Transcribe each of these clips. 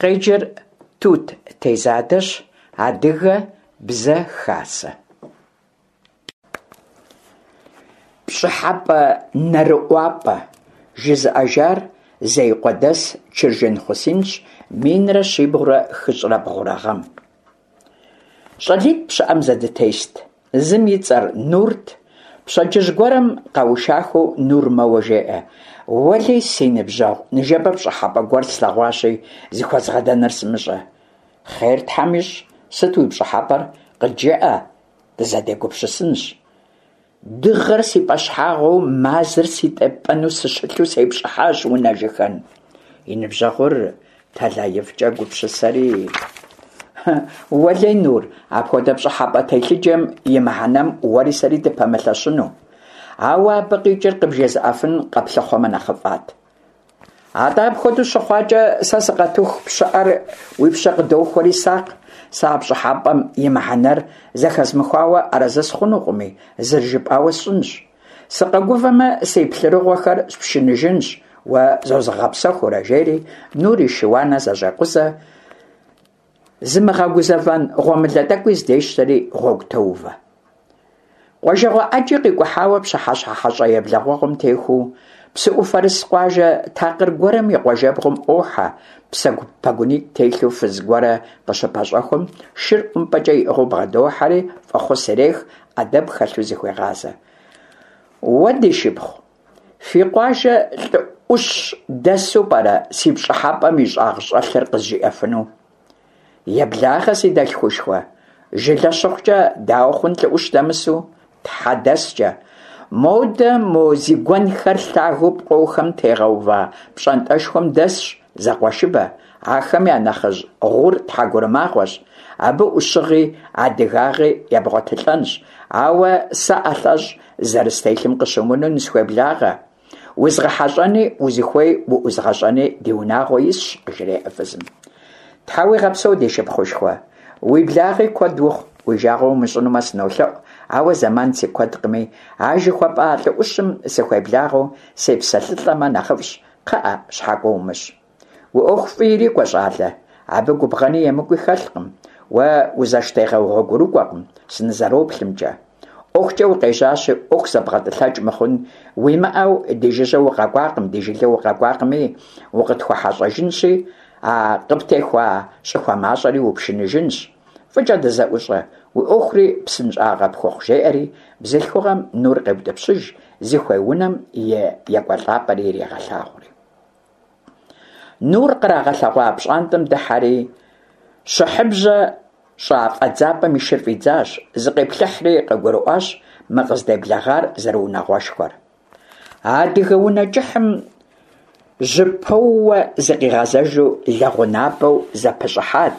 Къеджэр Тут Тезадэщ, Адыгэ бзэ хасэ. Пщӏыхьэпӏэ нэрыӏуапӏэ жызыӏэжар Зеикъуэдэс Чыржын Хъусинщ 1302 гъэм. Щӏалитӏ пщыӏэм зэдытест. Зым и цӏэр Нурт. Пщэдджыжь гуэрым къэушахэу Нур мэуэ жеӏэ: Уэлей, си ныбжьэгъу, ныжэбэ пщӏыхьэпӏэ гуэр слъэгъуащи, зыхуэзгъэдэныр сымыщӏэ. Хъер Тхьэм ищӏ, сыт уи пщӏыхьэпӏэр? Къыджеӏэ, дызэдегупсысынщ. Дыгъэр си пӏэщхьагъыу, мазэр си тепӏэну сыщылъу сепщӏыхьащ унэжыхэн. И ныбжьэгъур тэлаифӏкӏэ гупсысэри, Уэлей, Нур, апхуэдэ пщӏыхьэпӏэ телъыджэм и мыхьэнэм уэри сэри дыпэмылъэщыну. Ауэ абы къикӏыр къыбжезыӏэфын къэплъыхъуэмэ нэхъыфӏат. Атӏэ апхуэдэу щыхъуакӏэ, сэ сыкъэтыху пщыӏэр уи пщэ къыдохуэри сакъ, сэ а пщӏыхьэпӏэм и мыхьэнэр зэхэзмыхуауэ арэзы сыхъунукъыми, зэрыжыпӏауэ сщӏынщ. Сыкъэгувэмэ, си плъырыгъуэхэр спшыныжынщ, уэ зозгъэгъэпсэхуурэ, жери Нур и шы-уанэ зэщӏекъузэ, зымыгъэгузэвэн гъуэмылэ тӏэкӏуи здещтэри гъуэгу тоувэ. Къуажэгъуэ ӏэджи къикӏухьауэ пщыхьэщхьэ хьэщӏэ еблэгъуэгъуэм техуэу, псыӏуфэрыс къуажэ такъыр гуэрым и къуажэбгъум ӏуохьэ, псэгу пэгунитӏ телъу фыз гуэрэ къыщыпэщӏэхуэм, шыр ӏумпӏэкӏэ иӏыгъыу бгъэдохьэри, фӏэхъус ирех, ӏэдэб хэлъу зыхуегъазэ. Уэ, ди шыпхъу, фи къуажэ лӏы ӏущ дэсу пӏэрэ си пщӏыхьэпӏэм и щӏагъ щӏэлъыр къызжиӏэфыну? Еблагъэ, си дэлъхушхуэ, жылэ щыхъукӏэ дауэ хъун лӏы ӏущ дэмысу? Тхьэ дэскӏэ. Модэ мо зи гуэнхэр лъагэу пкъохэм тегъэува пщӏантӏэшхуэм дэсщ зэкъуэшыбэ, ахэм я нэхъыжь Гъур тхьэгурымагъуэщ, абы ӏущыгъи адыгагъи ебгъуэтылӏэнщ, ауэ сэ ӏэлъэщӏ зэрыстелъым къыщымынэу нысхуеблагъэ. Узгъэхьэщӏэни узыхуей уӏузгъэщӏэни ди унагъуэ исщ, къыжреӏэ фызым. Тхьэ уигъэпсэу, ди шыпхъушхуэ. Уи благъи куэд ухъу, уи жагъуэ умыщӏынумэ сынолъэӏу, ауэ зэман си куэдкъыми, а жыхуэпӏа лӏы ӏущым сыхуеблагъэу сепсэлъылӏэмэ нэхъыфӏщ, кхъыӏэ, щхьэкӏуэ умыщӏ. Уи ӏуэху фӏы ирикӏуэ, щӏалэ. Абы губгъэни емыкӏуи хэлъкъым. Уэ узэштегъэу гъуэгурыкӏуэкъым, сынызэроплъымкӏэ. ӏуэхукӏэ укъежьащи, ӏуэху зэбгъэтӏылъэкӏ мыхъун уимыӏэу ди жыжьэ укъэкӏуакъым, ди жылэ укъэкӏуакъыми, укъытхуэхьэщӏэжынщи, а къыптехуа щӏыхуэ мащӏэри упшыныжынщ. Фӏыкӏэ дызэӏущӏэ, уи ӏуэхури псынщӏагъэ пхухъу, жеӏэри, бзылъхугъэм Нур къеутӏыпщыж, зыхуей унэм и екӏуэлӏапӏэри ирегъэлъагъури. Нур кърагъэлъэгъуа пщӏантӏэм дыхьэри, щыхьыбжьэ щӏа фӏэдзапӏэм и шыр фӏидзащ, зыкъиплъыхьри къыгурыӏуащ мы къыздеблэгъар зэрыунагъуэшхуэр. Адыгэ унэ кӏыхьым жьыпэууэ зыкъигъэзэжу лэгъунапӏэу зэпыщӏыхьат,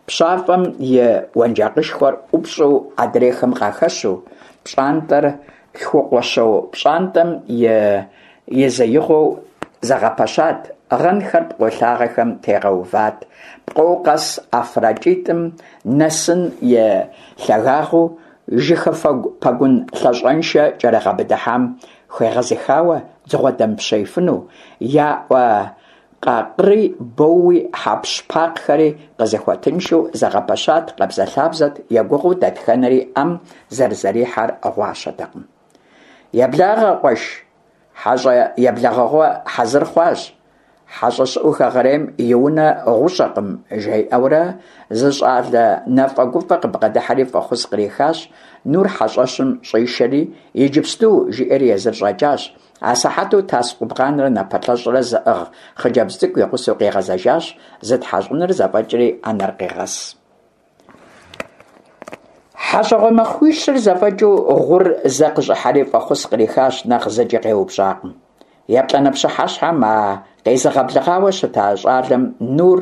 пщафӏэм и уэнжакъышхуэр ӏупщӏу адрейхэм къахэщу, пщӏантӏэр лъхукъуэщо пщӏантӏэм и езеигъуэу зэгъэпэщат, гъэнхэр пкъо лъагэхэм тегъэуват, пкъо къэс ӏэфракӏитӏым нэсын и лъагагъыу жыхыфэгу пэгун лъащӏэншэ кӏэрыгъэбыдыхьам хуегъэзыхауэ дзыгъуэ дэмыпщеифыну, я ӏуэ къакъыри, боуи, хьэпщпакъхэри къызыхуэтыншэу зэгъэпэщат, къабзэлъабзэт, егугъуу дэтхэнэри ӏэм зэрызэрихьэр гъуащэтэкъым. Еблагъэ, къуэш, хьэщӏэ еблэгъэгъуэ хьэзыр хъуащ. Хьэщӏэ щыӏэу хэгъэрейм и унэ гъущӏэкъым, жиӏэурэ зы щӏалэ нэфӏэгуфӏэ къыбгъэдыхьэри фӏэхъус кърихащ, Нур хьэщӏэщым щӏишэри, иджыпсту, жиӏэри езыр щӏэкӏащ. Асыхьэту тас къубгъанрэ напэлъэщӏрэ зыӏыгъ хъыджэбз цӏыкӏу и гъусэу къигъэзэжащ, зытхьэщӏыныр зэфӏэкӏри ӏэнэр къегъэс. Хьэщӏэгъуэ махуищыр зэфӏэкӏыу Гъур зэ къыщӏыхьэри фӏэхъус кърихащ, нэхъ зыкӏи къеупщӏакъым. Еплӏанэ пщыхьэщхьэм а къезыгъэблэгъауэ щыта щӏалэм Нур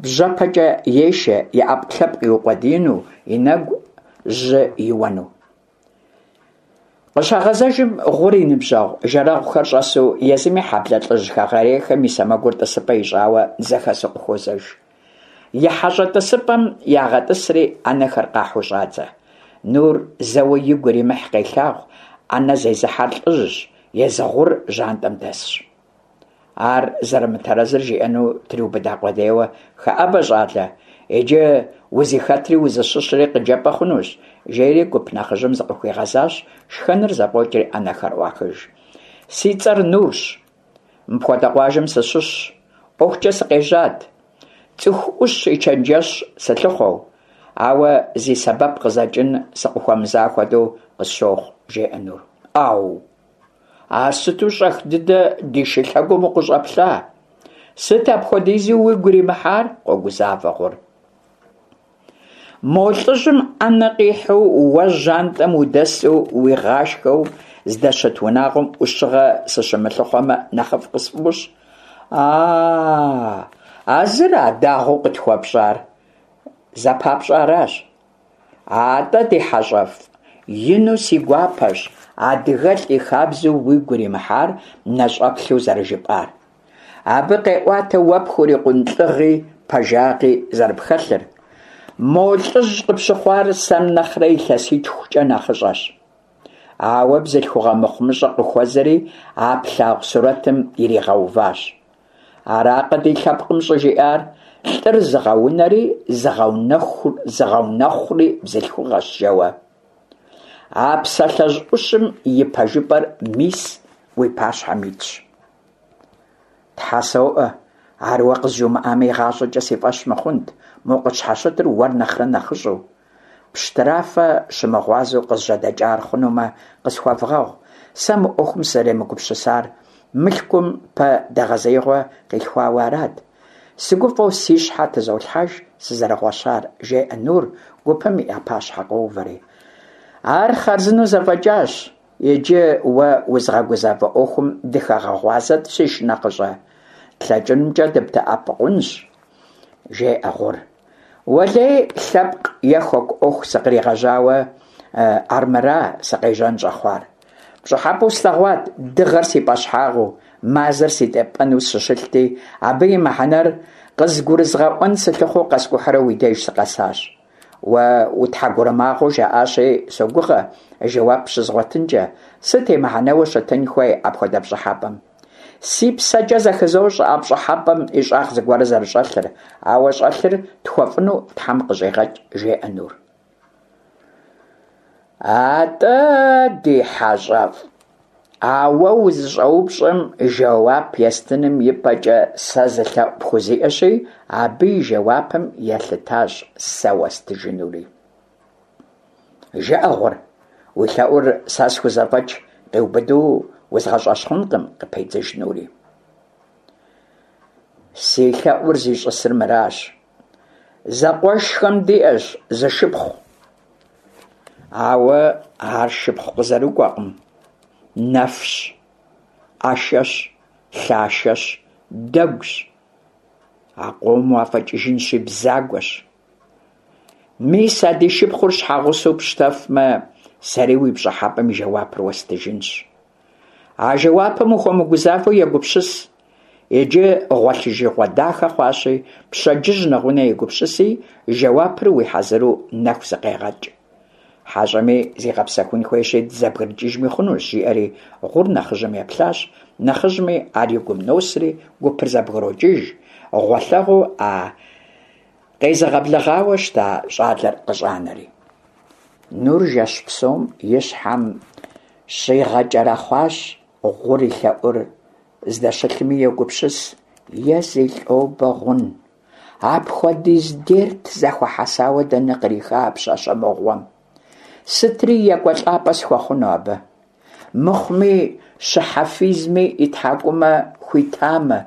бжьэпэкӏэ ешэ, и ӏэпкълъэпкъ иукъуэдиину, и нэгу жьы иуэну. Къыщагъэзэжым, Гъур и ныбжьэгъу жэрэгъухэр щӏэсу, езыми хьэблэ лӏыжь хэгъэрейхэм и сэмэгур тӏысыпӏэ ищӏауэ зэхэсу къыхуозэж. И хьэщӏэ тӏысыпӏэм ягъэтӏысри, ӏэнэхэр къахьу щӏадзэ. Нур зэуэ игу иримыхь къелъагъу, ӏэнэ зезыхьэр лӏыжьщ, езы Гъур жьантӏэм дэсщ. Ар зэрымытэрэзыр жиӏэну триубыда къудейуэ, Хэӏэбэ, щӏалэ, иджы узыхэтри узыщыщри къыджепӏэ хъунущ, жери гуп нэхъыжьым зыкъыхуигъэзащ, шхэныр зэфӏокӏри ӏэнэхэр ӏуахыж. Си цӏэр Нурщ. Мыпхуэдэ къуажэм сыщыщщ. ӏуэхукӏэ сыкъежьат. Цӏыху ӏущ и чэнджэщ сылъыхъуэу, ауэ зи сэбэп къызэкӏын сыкъыхуэмыза хуэдэу къысщохъу, жеӏэ Нур. ӏэу! Ар сыту щӏэх дыдэ ди шылъэгум укъыщӏэплъа? Сыт апхуэдизу уигу иримыхьар? къогузавэ Гъур. Мо лӏыжьым ӏэнэ къихьу, уэ жьантӏэм удэсу уигъашхэу здэщыт унагъуэм ӏущыгъэ сыщымылъыхъуэмэ нэхъыфӏ къысфӏощӏ. А-а, а зыра дагъуэу къытхуэпщӏар? Зэпапщӏаращ. Атӏэ, ди хьэщӏэфӏ, ину си гуапэщ адыгэлӏ и хабзэу уигу иримыхьар нэщӏэплъу зэрыжыпӏар. Абы къеӏуатэ уэ пхурикъун лӏыгъи пэжагъи зэрыпхэлъыр. Мо лӏыжь къыпщыхъуар сэм нэхърэ илъэситхукӏэ нэхъыщӏэщ. Ауэ бзылъхугъэ мыхъумыщӏэ къыхуэзэри а плъагъу сурэтым иригъэуващ. Аракъэ ди лъэпкъым щӏыжиӏар, лӏыр зыгъэунэри зыгъэунэхъури бзылъхугъэщ жэуэ. А псалъэжь ӏущым и пэжыпӏэр мис уи пащхьэм итщ. Тхьэ соӏуэ, ар уэ къызжумыӏамэ игъащӏэкӏэ си фӏэщ мыхъунт, мо къытщхьэщытыр уэр нэхърэ нэхъыщӏэу. Пщтырафэ щымыгъуазэу къызжьэдэкӏар хъунумэ, къысхуэвгъэгъу, сэ мы ӏуэхум сызэремыгупсысар мылъкум пэ дэгъэзеигъуэ къилъхуауэ арат. Сыгуфӏэу си щхьэ тызолъхьэж сызэрыгъуэщар, жеӏэ Нур, гупым я пащхьэ къоувэри. Ар хъарзынэу зэфӏэкӏащ, иджы уэ узыгъэгузавэ ӏуэхум дыхэгъэгъуазэт, си шынэхъыщӏэ. Тлъэкӏынумкӏэ дыбдэӏэпыкъунщ, жеӏэ Гъур. Уэлей, лъэпкъ е хэку ӏуэху сыкъригъэжьауэ армыра сыкъежьэн щӏэхъуар. Пщӏыхьэпӏэу слъэгъуат дыгъэр си пӏэщхьагъыу, мазэр си тепӏэну сыщылъти, абы и мыхьэнэр къызгурызгъэӏуэн сылъыхъуэу къэскӏухьурэ уи деж сыкъэсащ. Уэ утхьэгурымагъуэу жаӏащи, согугъэ, жэуап щызгъуэтынкӏэ, сыт и мыхьэнэуэ щытын хуей апхуэдэ пщӏыхьэпӏэм? Си псэкӏэ зэхызощӏэ а пщӏыхьэпӏэм и щӏагъ зыгуэр зэрыщӏэлъыр, ауэ щӏэлъыр тхуэфӏыну Тхьэм къыщӏигъэкӏ, жеӏэ Нур. Атӏэ, ди хьэщӏэфӏ, а уэ узыщӏэупщӏэм жэуап естыным и пӏэкӏэ сэ зы лъэӏу пхузиӏэщи, абы и жэуапым елъытащ сэ уэстыжынури. Жыӏэ, Гъур, уи лъэӏур сэ схузэфӏэкӏ къиубыду узгъэщӏэщхъункъым, къыпедзыж Нури. Си лъэӏур зищӏысыр мыращ. Зэкъуэшхэм диӏэщ зы шыпхъу. Ауэ ар шыпхъу къызэрыкӏуэкъым. Нэфщ, ӏэшэщ, лъашэщ, дэгущ. А къомым уафӏэкӏыжынщи, бзагуэщ. Мис а ди шыпхъур щхьэгъусэу пщтэфмэ, сэри уи пщӏыхьэпӏэм и жэуапыр уэстыжынщ. А жэуапым ухуэмыгузавэу егупсыс. Иджы гъуэлъыжыгъуэ дахэ хъуащи, пщэдджыжь нэгъунэ егупсыси, жэуапыр уи хьэзыру нэху зыкъегъэкӏ. Хьэщӏэми зигъэпсэхун хуейщи, дызэбгрыкӏыжми хъунущ, жиӏэри Гъур нэхъыжьым еплъащ, нэхъыжьми ар и гум носри, гупыр зэбгрокӏыж, гъуэлъэгъуу а къезыгъэблэгъауэ щыта щӏалэр къыщӏанэри. Нур жэщ псом и щхьэм щигъэкӏэрэхъуащ Гъур и лъэӏур здэщылъми йогупсыс, е зи лӏобэ гъун. Апхуэдиз дерт зэхуэхьэсауэ дэнэ къриха а пщащэ мыгъуэм? Сытри екӏуэлӏапӏэ схуэхъуну абы? Мыхъуми, щыхьэфизми и тхьэкӏумэ хуитамэ,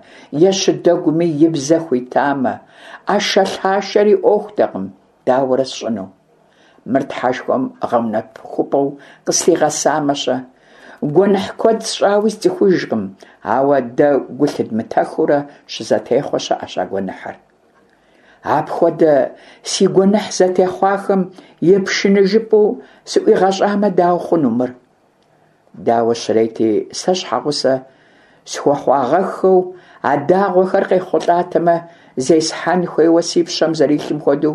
е щыдэгуми и бзэ хуитамэ, ӏэшэлъашэри ӏуэхутэкъым, дауэрэ сщӏыну? Мыр Тхьэшхуэм гъэунэхупӏэу къыслъигъэсамэ-щэ? Гуэныхь куэд сщӏауи сцӏыхужкъым, ауэ дэ гу лъыдмытэхыурэ щызэтехъуэ щыӏэщ а гуэныхьыр. Апхуэдэ си гуэныхь зэтехъуахэм и пшыныжыпӏэу сыӏуигъэщӏамэ, дауэ хъуну мыр? Дауэ щрети, сэ щхьэгъусэ схуэхъуагъэххэу а дагъуэхэр къехъулӏатэмэ, зесхьэн хуейуэ си пщэм зэрилъым хуэдэу,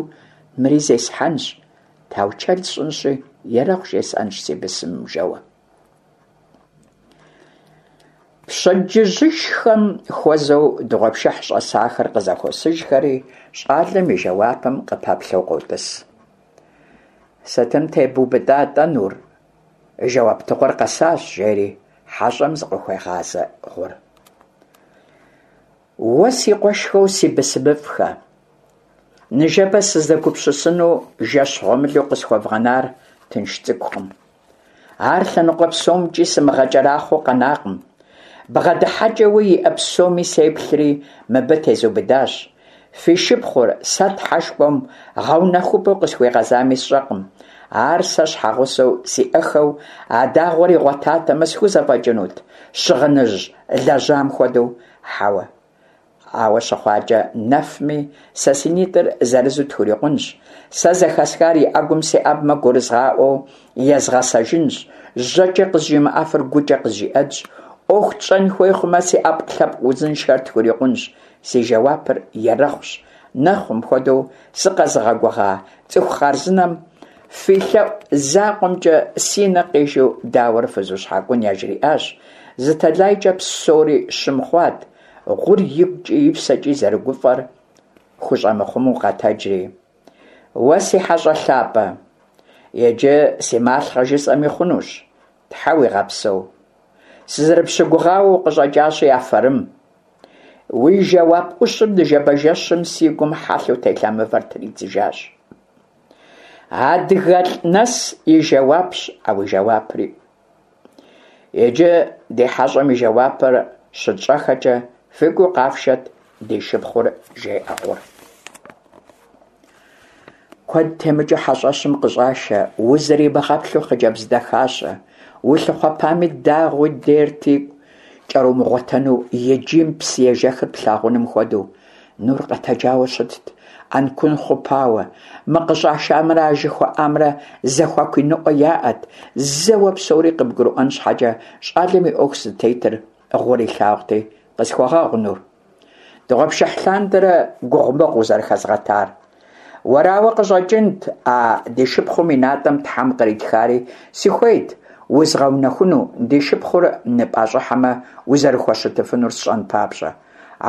мыри зесхьэнщ, таучэл сщӏынщи, ерэхъу жесӏэнщ си бысымым жэуэ. Пщэдджыжьышхэм хуэзэу дыгъуэпшыхь щӏэсахэр къызэхуосыжхэри, щӏалэм и жэуапым къыпэплъэу къотӏыс. Сытым тебубыда-тӏэ, Нур? Жэуаптыгъуэр къэсащ, жери хьэщӏэм зыкъыхуегъазэ Гъур. Уэ си къуэшхэу си бысымыфӏхэ, ныжэбэ сызэгупсысыну жэщ гъуэмылэу къысхуэвгъэнар тынш цӏыкӏукъым. Ар лъэныкъуэ псомкӏи сымыгъэкӏэрахъуэу къэнакъым. Бгъэдыхьэкӏэуи иӏэ псоми сеплъри, мыбы тезубыдащ. Фи шыпхъур сэ Тхьэшхуэм гъэунэхупӏэу къысхуигъэзами сщӏэкъым. Ар сэ щхьэгъусэу сиӏэхэу а дагъуэр игъуэтатэмэ, схузэфӏэкӏынут, щыгъыныжь лэжьам хуэдэу, хьэуэ. Ауэ щыхъуакӏэ, нэфми, сэ си нитӏыр зырызу тхурикъунщ. Сэ зэхэсхар и ӏэгум сеӏэбмэ гурызгъаӏуэу езгъэсэжынщ, жьэкӏэ къызжимыӏэфыр гукӏэ къызжиӏэнщ. ӏуэху тщӏэн хуей хъумэ, си ӏэпкълъэпкъ узыншэр тхурикъунщ. Си жэуапыр ерэхъущ. Нэхъум хуэдэу сыкъэзыгъэгугъа цӏыху хъарзынэм фи лъэӏу закъуэмкӏэ си нэ къижу дауэрэ фызущхьэкӏун яжриӏащ. Зы тэлайкӏэ псори щым хъуат, Гъур игукӏи и псэкӏи зэрыгуфӏэр хущӏэмыхъумэу къэтэджри. Уэ си хьэщӏэ лъапӏэ, иджы си малъхъэ жысӏэми хъунущ, Тхьэ уигъэпсэу. Сызэрыпщыгугъауэ укъыщӏэкӏащи, афэрым. Уи жэуап ӏущым ныжэбэ жэщым си гум хьэлъэу телъа мывэр тридзыжащ. Адыгэлӏ нэс и жэуапщ а уи жэуапри. Иджы ди хьэщӏэм и жэуапыр щытщӏэхэкӏэ, фыкӏуи къафшэт ди шыпхъур, жеӏэ Гъур. Куэд темыкӏыу хьэщӏэщым къыщӏашэ, узэримыгъэплъу хъыджэбз дахащэ, улъыхъуэпами дагъуи дерти кӏэрумыгъуэтэну и джийм псы ежэхыр плъагъуным хуэдэу. Нур къэтэджауэ щытт, ӏэнкун хъупауэ. Мы къыщӏашамрэ а жыхуаӏамрэ зэхуаку иныӏуэ яӏэт, зэуэ псори къыбгурыӏуэн щхьэкӏэ щӏалэм и ӏуэху зытетыр Гъур илъагъути, къысхуэгъэгъу, Нур. Дыгъуэпшыхь лъандэрэ гугъумыгъу узэрыхэзгъэтар. Уэрауэ къыщӏэкӏынт а ди шыпхъум и натӏэм Тхьэм къритхари, сыхуейт узгъэунэхуну, ди шыпхъур ныпӏэщӏыхьэмэ, узэрыхуэщытыфынур сщӏэн папщӏэ.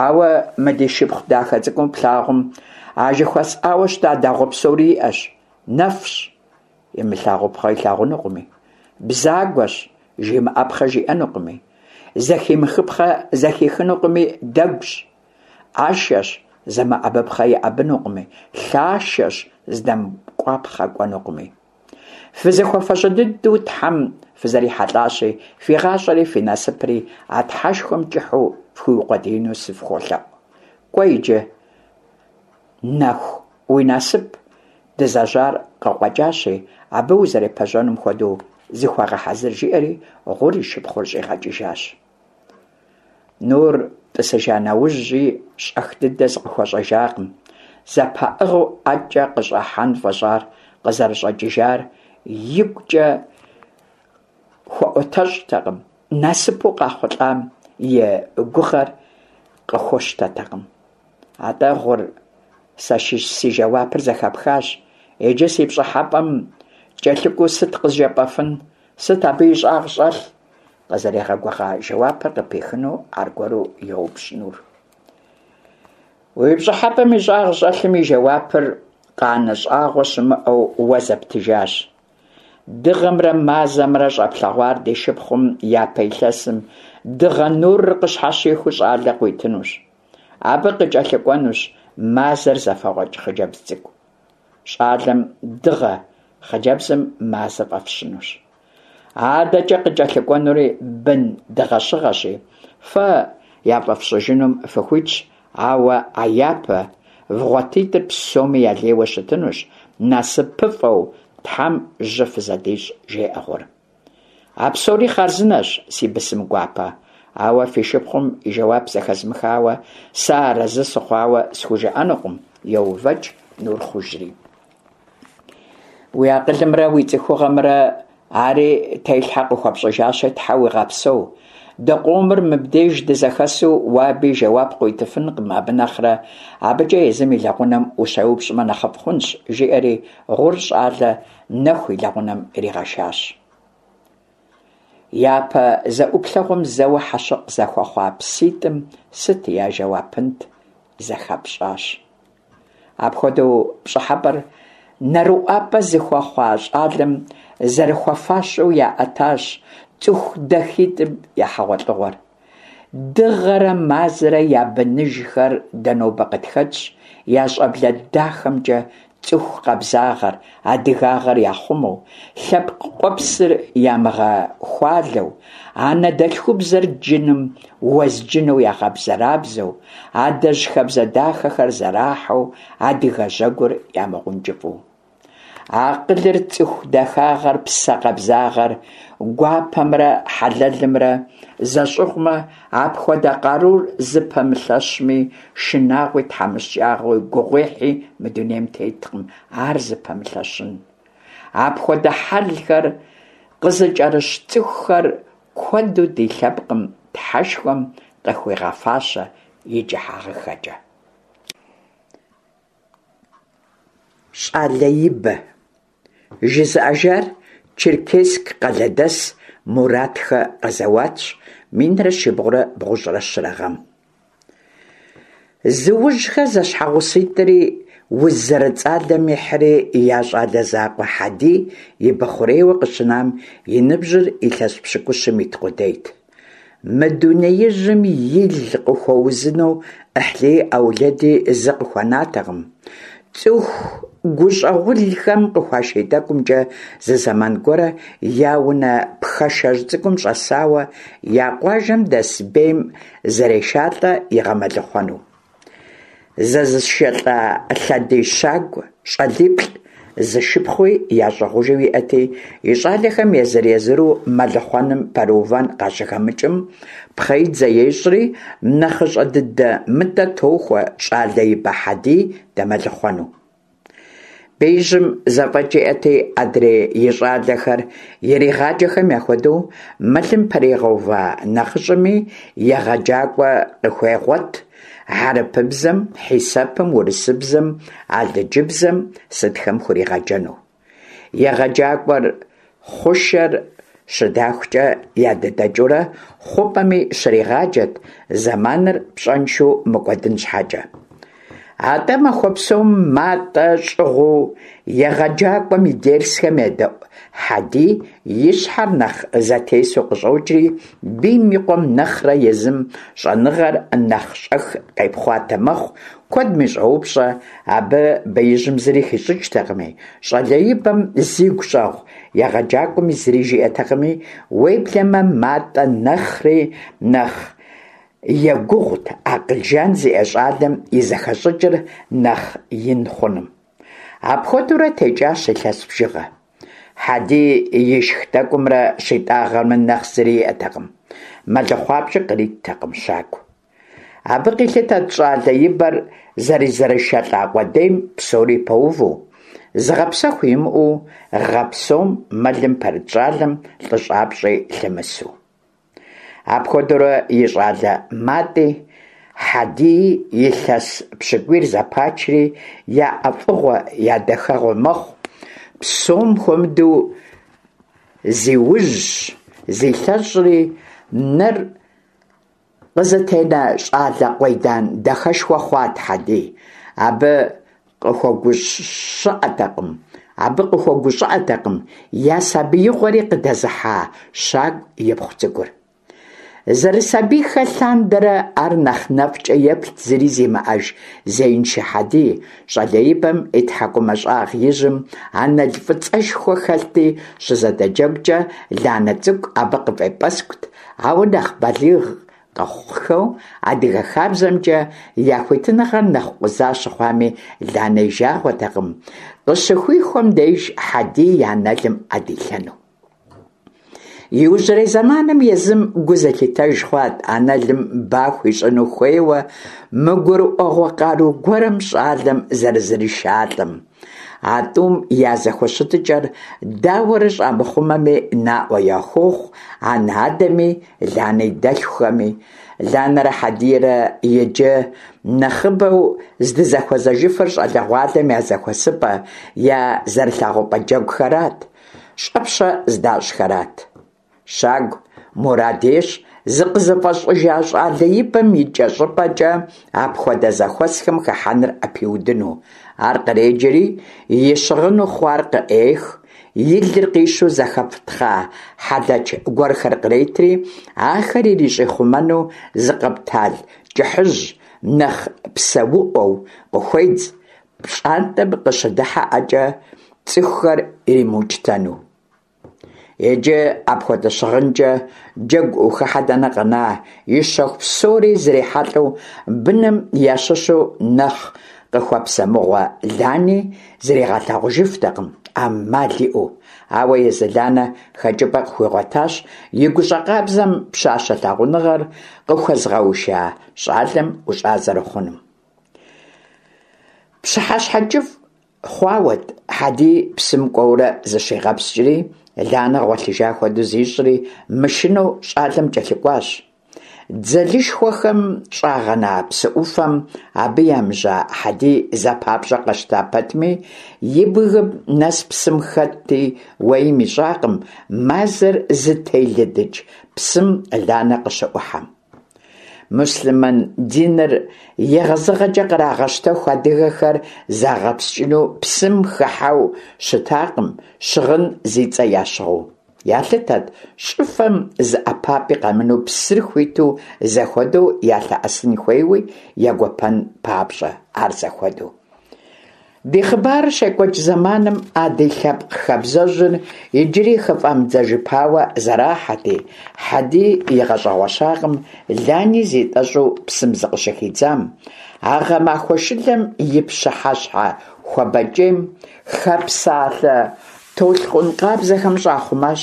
Ауэ мы ди шыпхъу дахэ цӏыкӏум плъагъум а жыхуэсӏауэ щыта дагъуэ псори иӏэщ, нэфщ, имылъагъупхъэ илъагъунукъыми, бзагуэщ, жимыӏэпхъэ жиӏэнукъыми, зэхимыхыпхъэ зэхихынукъыми, дэгущ, ӏэшэщ, зэмыӏэбыпхъэ иӏэбынукъыми, лъашэщ, здэмкӏуапхъэ кӏуэнукъыми. Фызэхуэфэщэ дыдэу Тхьэм фызэрихьэлӏащи, фи гъащӏэри фи насыпри а Тхьэшхуэм кӏыхьу фхуиукъуэдиину сыфхуолъэӏу. Кӏуэ иджы, Нэху, уи насып дызэжьар къыкъуэкӏащи, абы узэрепэжьэнум хуэдэу зыхуэгъэхьэзыр, жиӏэри Гъур и шыпхъур щӏигъэкӏыжащ. Нур тӏысыжа нэужьи щӏэх дыдэ зыкъыхуэщӏэжакъым. Зэпаӏыгъыу ӏэкӏэ къыщӏыхьэн фӏэщӏар къызэрыщӏэкӏыжар игукӏэ хуэӏуэтэщӏтэкъым, насыпу къахъулӏам и гугъэр къыхуэщтэтэкъым. Атӏэ, Гъур, сэ си жэуапыр зэхэпхащ. Иджы си пщӏыхьэпӏэм кӏэлъыкӏуэу сыт къызжепӏэфын, сыт абы и щӏагъ щӏэлъ? Къызэригъэгугъа жэуапыр къыпихыну аргуэру йоупщӏ Нур. Уи пщӏыхьэпӏэм и щӏагъ щӏэлъым и жэуапыр къанэ щӏагъуэ щымыӏэу уэ зэптыжащ. Дыгъэмрэ мазэмрэ щӏэплъэгъуар ди шыпхъум япэ илъэсым дыгъэ нурыр къыщхьэщихыу щӏалэ къуитынущ. Абы къыкӏэлъыкӏуэнущ мазэр зэфэгъуэкӏ хъыджэбз цӏыкӏу. Щӏалэм дыгъэ, хъыджэбзым мазэ фӏэфщынущ. Адэкӏэ къыкӏэлъыкӏуэнури бын дыгъэщыгъэщи, фэ яфӏэфщыжынум фыхуитщ, ауэ а япэ вгъуэтитӏыр псоми ялейуэ щытынущ, насыпыфӏэу Тхьэм жьы фызэдищӏ, жеӏэ Гъур. А псори хъарзынэщ, си бысым гуапэ, ауэ фи шыпхъум и жэуап зэхэзмыхауэ, сэ арэзы сыхъуауэ схужыӏэнукъым, йоувэкӏ Нур хъужри. Уи акъылымрэ уи цӏыхугъэмрэ ари телъхьэ къыхуэпщӏыжащи, Тхьэ уигъэпсэу. Дыкъомыр мыбдеж дызэхэсу уэ абы и жэуап къыуитыфынкъым, абы нэхърэ абыкӏэ езым и лэгъунэм ущеупщӏмэ нэхъыфӏ хъунщ, жиӏэри Гъур щӏалэ Нэху и лэгъунэм иригъэшащ. Япэ зэӏуплъэгъуэм зэуэ хьэщыкъ зэхуэхъуа пситӏым сыт я жэуапынт, зэхэпщӏащ. Апхуэдэу пщӏыхьэпӏэр нэрыӏуапӏэ зыхуэхъуа щӏалэм зэрыхуэфащэу яӏэтащ цӏыху дахитӏым я хьэгъуэлӏыгъуэр. Дыгъэрэ мазэрэ я быныжхэр дэ нобэ къытхэтщ, я щӏэблэ дахэмкӏэ цӏыху къабзагъэр, адыгагъэр яхъумэу, лъэпкъ къуэпсыр ямыгъэхуалэу, анэдэлъхубзэр джыным уэзджынэу ягъэбзэрабзэу, адэжь хабзэ дахэхэр зэрахьэу, адыгэ жьэгур ямыгъункӏыфӏу. Акъылыр, цӏыху дахагъэр, псэ къабзагъэр, гуапэмрэ хьэлэлымрэ зэщӏыгъумэ, апхуэдэ къарур зыпэмылъэщми, шынагъуи, тхьэмыщкӏагъи, гугъуехьи мы дунейм теткъым ар зыпэмылъэщын. Апхуэдэ хьэлхэр къызыкӏэрыщ цӏыхухэр куэду ди лъэпкъым Тхьэшхуэм къыхуигъэфащэ и кӏыхьагъыхэкӏэ. Щӏалэ ибэ. Жызыӏэжар Черкесск къалэдэс Муратхэ Къэзэуатщ, 1393 гъэм. Зыужьхэ зэщхьэгъуситӏри уз зэрыцӏалэм ихьри, я щӏалэ закъуэ Хьэдий ибэ хъурейуэ къыщынам и ныбжьыр илъэс пщыкӏущым ит къудейт. Мы дунеижьым ил къыхуэузыну ӏыхьлыи ӏэулэди зы къыхуэнатэкъым. Цӏыху гущӏэгъулхэм къыхуаший тӏэкӏумкӏэ зы зэман гуэрэ я унэ пхъэшэжь цӏыкӏум щӏэсауэ, я къуажэм дэс бейм зэрешалӏэ игъэмэлыхъуэну. Зэзышэлӏа лъэдий щагу щӏалиплӏ, зы шыпхъуи ящӏыгъужу иӏэти, и щӏалэхэм езыр-езыру мэлыхъуэным пэрыувэн къащыхэмыкӏым, пхъэидзэ ещӏри, нэхъыщӏэ дыдэ Мытӏэ тохуэ щӏалэ ибэ Хьэдий дэмэлыхъуэну. Беижьым зэфӏэкӏ иӏэти, адрей и щӏалэхэр иригъаджэхэм яхуэдэу, мэлым пэригъэува нэхъыщӏэми егъэджакӏуэ къыхуегъуэт, хьэрыпыбзэм, хьисэпым, урысыбзэм, алыджыбзэм сытхэм хуригъэджэну. Егъэджакӏуэр хъушэр щыдахукӏэ ядыдэкӏыурэ хъупӏэми щригъаджэт, зэманыр пщӏэншэу мыкӏуэдын щхьэкӏэ. Атӏэ махуэ псом Матӏэ щӏыгъуу егъэджакӏуэм и дерсхэм едэӏу Хьэдий и щхьэр нэхъ зэтесу къыщӏокӏри, бийм и къуэм нэхърэ езым щӏэныгъэр нэхъ щӏэх къепхъуатэ мэхъу, куэдми щӏоупщӏэ, абы беижьым зыри хищӏыкӏтэкъыми, щӏалэ ибэм зигу щӏэгъу егъэджакӏуэми зыри жиӏэтэкъыми, уеблэмэ Матӏэ нэхъри нэхъ егугъут акъыл жан зиӏэ щӏалэм и зэхэщӏыкӏыр нэхъ ин хъуным. Апхуэдэурэ текӏащ илъэс бжыгъэ. Хьэдий ишх тӏэкӏумрэ щитӏагъэмрэ нэхъ зыри иӏэтэкъым, мэлыхъуапщӏи къриттэкъым щагу. Абы къилъытэт щӏалэ ибэр зэрызэришэлӏа къудейм псори пэуву, зыгъэпсэху имыӏэу гъэ псом мэлым пэрыт щӏалэм лӏыщӏапщӏи лъымысу. Апхуэдэурэ и щӏалэ Матӏи Хьэдии илъэс пщыкӏуийр зэпачри, я ӏэфӏыгъуэ, я дахэгъуэ мэхъу, псом хуэмыдэу зиужьщ, зилъэщӏри, нэр къызытенэ щӏалэ къуейдан дахэшхуэ хъуат Хьэдий. Абы къыхуэгущӏыӏэтэкъым, абы къыхуэгущӏыӏэтэкъым я сабиигъуэри къыдэзыхьа Щагу ипхъу цӏыкӏур. Зэрысабийхэ лъандэрэ ар нэхъ нэфӏкӏэ еплът зыри зимыӏэж зеиншэ Хьэдий, щӏалэ ибэм и тхьэкӏумэ щӏагъ ижьым анэл фӏыцӏэшхуэ хэлъти, щызэдэджэгукӏэ Ланэ цӏыкӏу абы къыфӏепӏэскӏут, ауэ нэхъ балигъ къэхъухэу адыгэ хабзэмкӏэ я хуитыныгъэр нэхъ къуза щыхъуами, Ланэ и жагъуэтэкъым, къыщыхуихуэм деж Хьэдий и анэлым ӏэ дилъэну. Иужьрей зэманым езым гу зылъитэж хъуат анэлым ба хуищӏыну хуейуэ мыгурыӏуэгъуэ къару гуэрым щӏалэм зэрызришалӏэм. А тӏум я зэхущытыкӏэр дауэрэ щӏамыхъумэми наӏуэ яхуохъу анэ-адэми, Ланэ и дэлъхухэми. Ланэрэ Хьэдийрэ иджы нэхъыбэу здызэхуэзэжыфыр щӏалэгъуалэм я зэхуэсыпӏэ, я зэрылъагъупӏэ джэгухэрат, щӏэпщэ здащӏхэрат. Щагу. мурад ещӏ зыкъызыфӏэщӏыжа щӏалэ ибэм икӏэщӏыпӏэкӏэ апхуэдэ зэхуэсхэм хыхьэныр ӏэпиудыну. Ар къреджэри, и щыгъыну хъуар къыӏех, и лыр къищу зэхэфтхъа хьэлэч гуэрхэр къретри, ахэр ирищӏихъумэну зы къэптал кӏыхьыжь, нэхъ псэуӏуэу къыхуедз, пщӏантӏэм къыщыдыхьэӏэкӏэ цӏыхухэр иримыукӏытэну. Иджы апхуэдэ щыгъынкӏэ джэгу ухыхьэ дэнэ къэна, и щэху псори зрихьэлӏэу быным ящыщу нэхъ къыхуэпсэмыгъуэ Лани зригъэлъагъужыфтэкъым, ӏэмал иӏэу. Ауэ езы Ланэ хэкӏыпӏэ къыхуигъуэтащ и гущӏэ къабзэм пщащэ лъагъуныгъэр къыхуэзыгъэуша щӏалэм ӏущӏа зэрыхъунум. Пщыхьэщхьэ кӏыфӏ хъуауэт, Хьэдий псым кӏуэурэ зыщигъэпскӏри, Ланэ гъуэлъыжа хуэдэу зищӏри, мышынэу щӏалэм кӏэлъыкӏуащ. Дзэлышхуэхэм щӏагъэна псы ӏуфэм абы емыжьа Хьэдий зэ папщӏэ къэщта пэтми, и бгым нэс псым хэтти, уэим ищӏакъым, мазэр зытелыдыкӏ псым Ланэ къыщыӏухьэм. Муслъымэн диныр егъэзыгъэкӏэ кърагъэщтэху адыгэхэр загъэпскӏыну псым хыхьэу щытакъым, щыгъын зи цӏэ ящыгъыу. Ялъытэт щӏыфэм зы ӏэпапӏи къэмынэу псыр хуиту зэхуэдэу ялъэӏэсын хуейуи егуэпэн папщӏэ, ар зэхуэдэу. Ди хъыбарыр щекӏуэкӏ зэманым а ди лъэпкъ хабзэжьыр иджыри хыфӏамыдзэжыпауэ зэрахьэти, Хьэдий игъэщӏэгъуэщакъым Лани зитӏэщӏу псым зыкъыщыхидзам. А гъэмахуэ шылэм и пщыхьэщхьэ хуабэкӏейм хэпсалъэ толъкъун къабзэхэм щӏахъумащ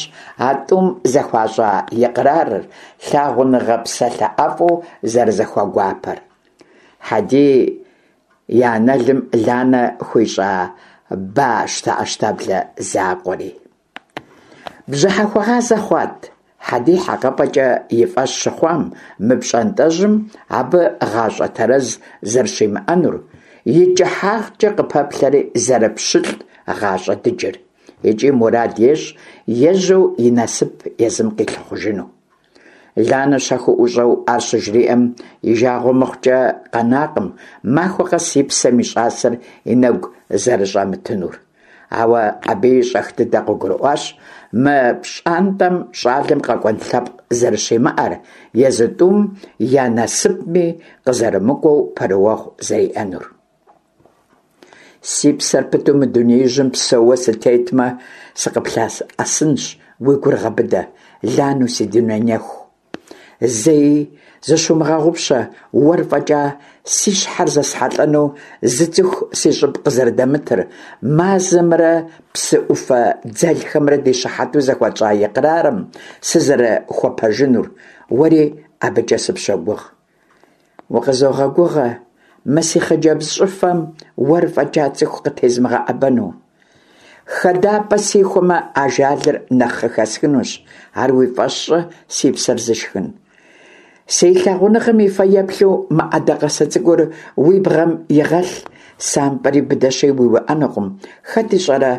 а тӏум зэхуащӏа икърарыр, лъагъуныгъэ псалъэ ӏэфӏу зэрызэхуэгуапэр. Хьэдий и анэлым Ланэ хуищӏа ба щтэӏэщтаблэ закъуэри. Бжьыхьэхуэгъазэ хъуат, Хьэдий хьэкъыпӏэкӏэ и фӏэщ щыхъуам мы пщӏантӏэжьым абы гъащӏэ тэрэз зэрыщимыӏэнур, и кӏыхьагъкӏэ къыпэплъэри зэрыпщылӏ гъащӏэ дыджыр. Икӏи мурад ещӏ ежьэу и насып езым къилъыхъужыну. Ланэ щэхуу ӏущӏэу ар щыжриӏэм, и жагъуэ мыхъукӏэ къэнакъым, махуэ къэс и псэм и щӏасэр и нэгу зэрыщӏэмытынур. Ауэ абыи щӏэх дыдэ къыгурыӏуащ мы пщӏантӏэм щӏалэм къэкӏуэн лъэпкъ зэрыщимыӏэр, езы тӏум я насыпми къызэрымыкӏуэу пэрыуэгъу зэриӏэнур. Си псэр пыту мы дунеижьым псэууэ сытетмэ, сыкъыплъэӏэсынщ, уи гур гъэбыдэ, Лану си дуней нэху. Зэи зыщумыгъэгъупщэ, уэр фӏэкӏа си щхьэр зэсхьэлӏэну зы цӏыху си щӏыб къызэрыдэмытыр, мазэмрэ псы ӏуфэ дзэлхэмрэ ди щыхьэту зэхуэтщӏа икърарым сызэрыхуэпэжынур, уэри абыкӏэ сыпщогугъ. Укъызогъэгугъэ, мы си хъыджэбз щӏыфэм уэр фӏэкӏа цӏыху къытезмыгъэӏэбэну. Хэдапӏэ сихуэмэ, ажалыр нэхъ къыхэсхынущ, ар уи фӏэщ щӏы, си псэр зышхын. Си лъагъуныгъэм и фэеплъу мы ӏэдакъэсэ цӏыкӏур уи бгъэм игъэлъ, сампӏэри быдэщи уиуӏэнукъым, хэт ищӏэрэ,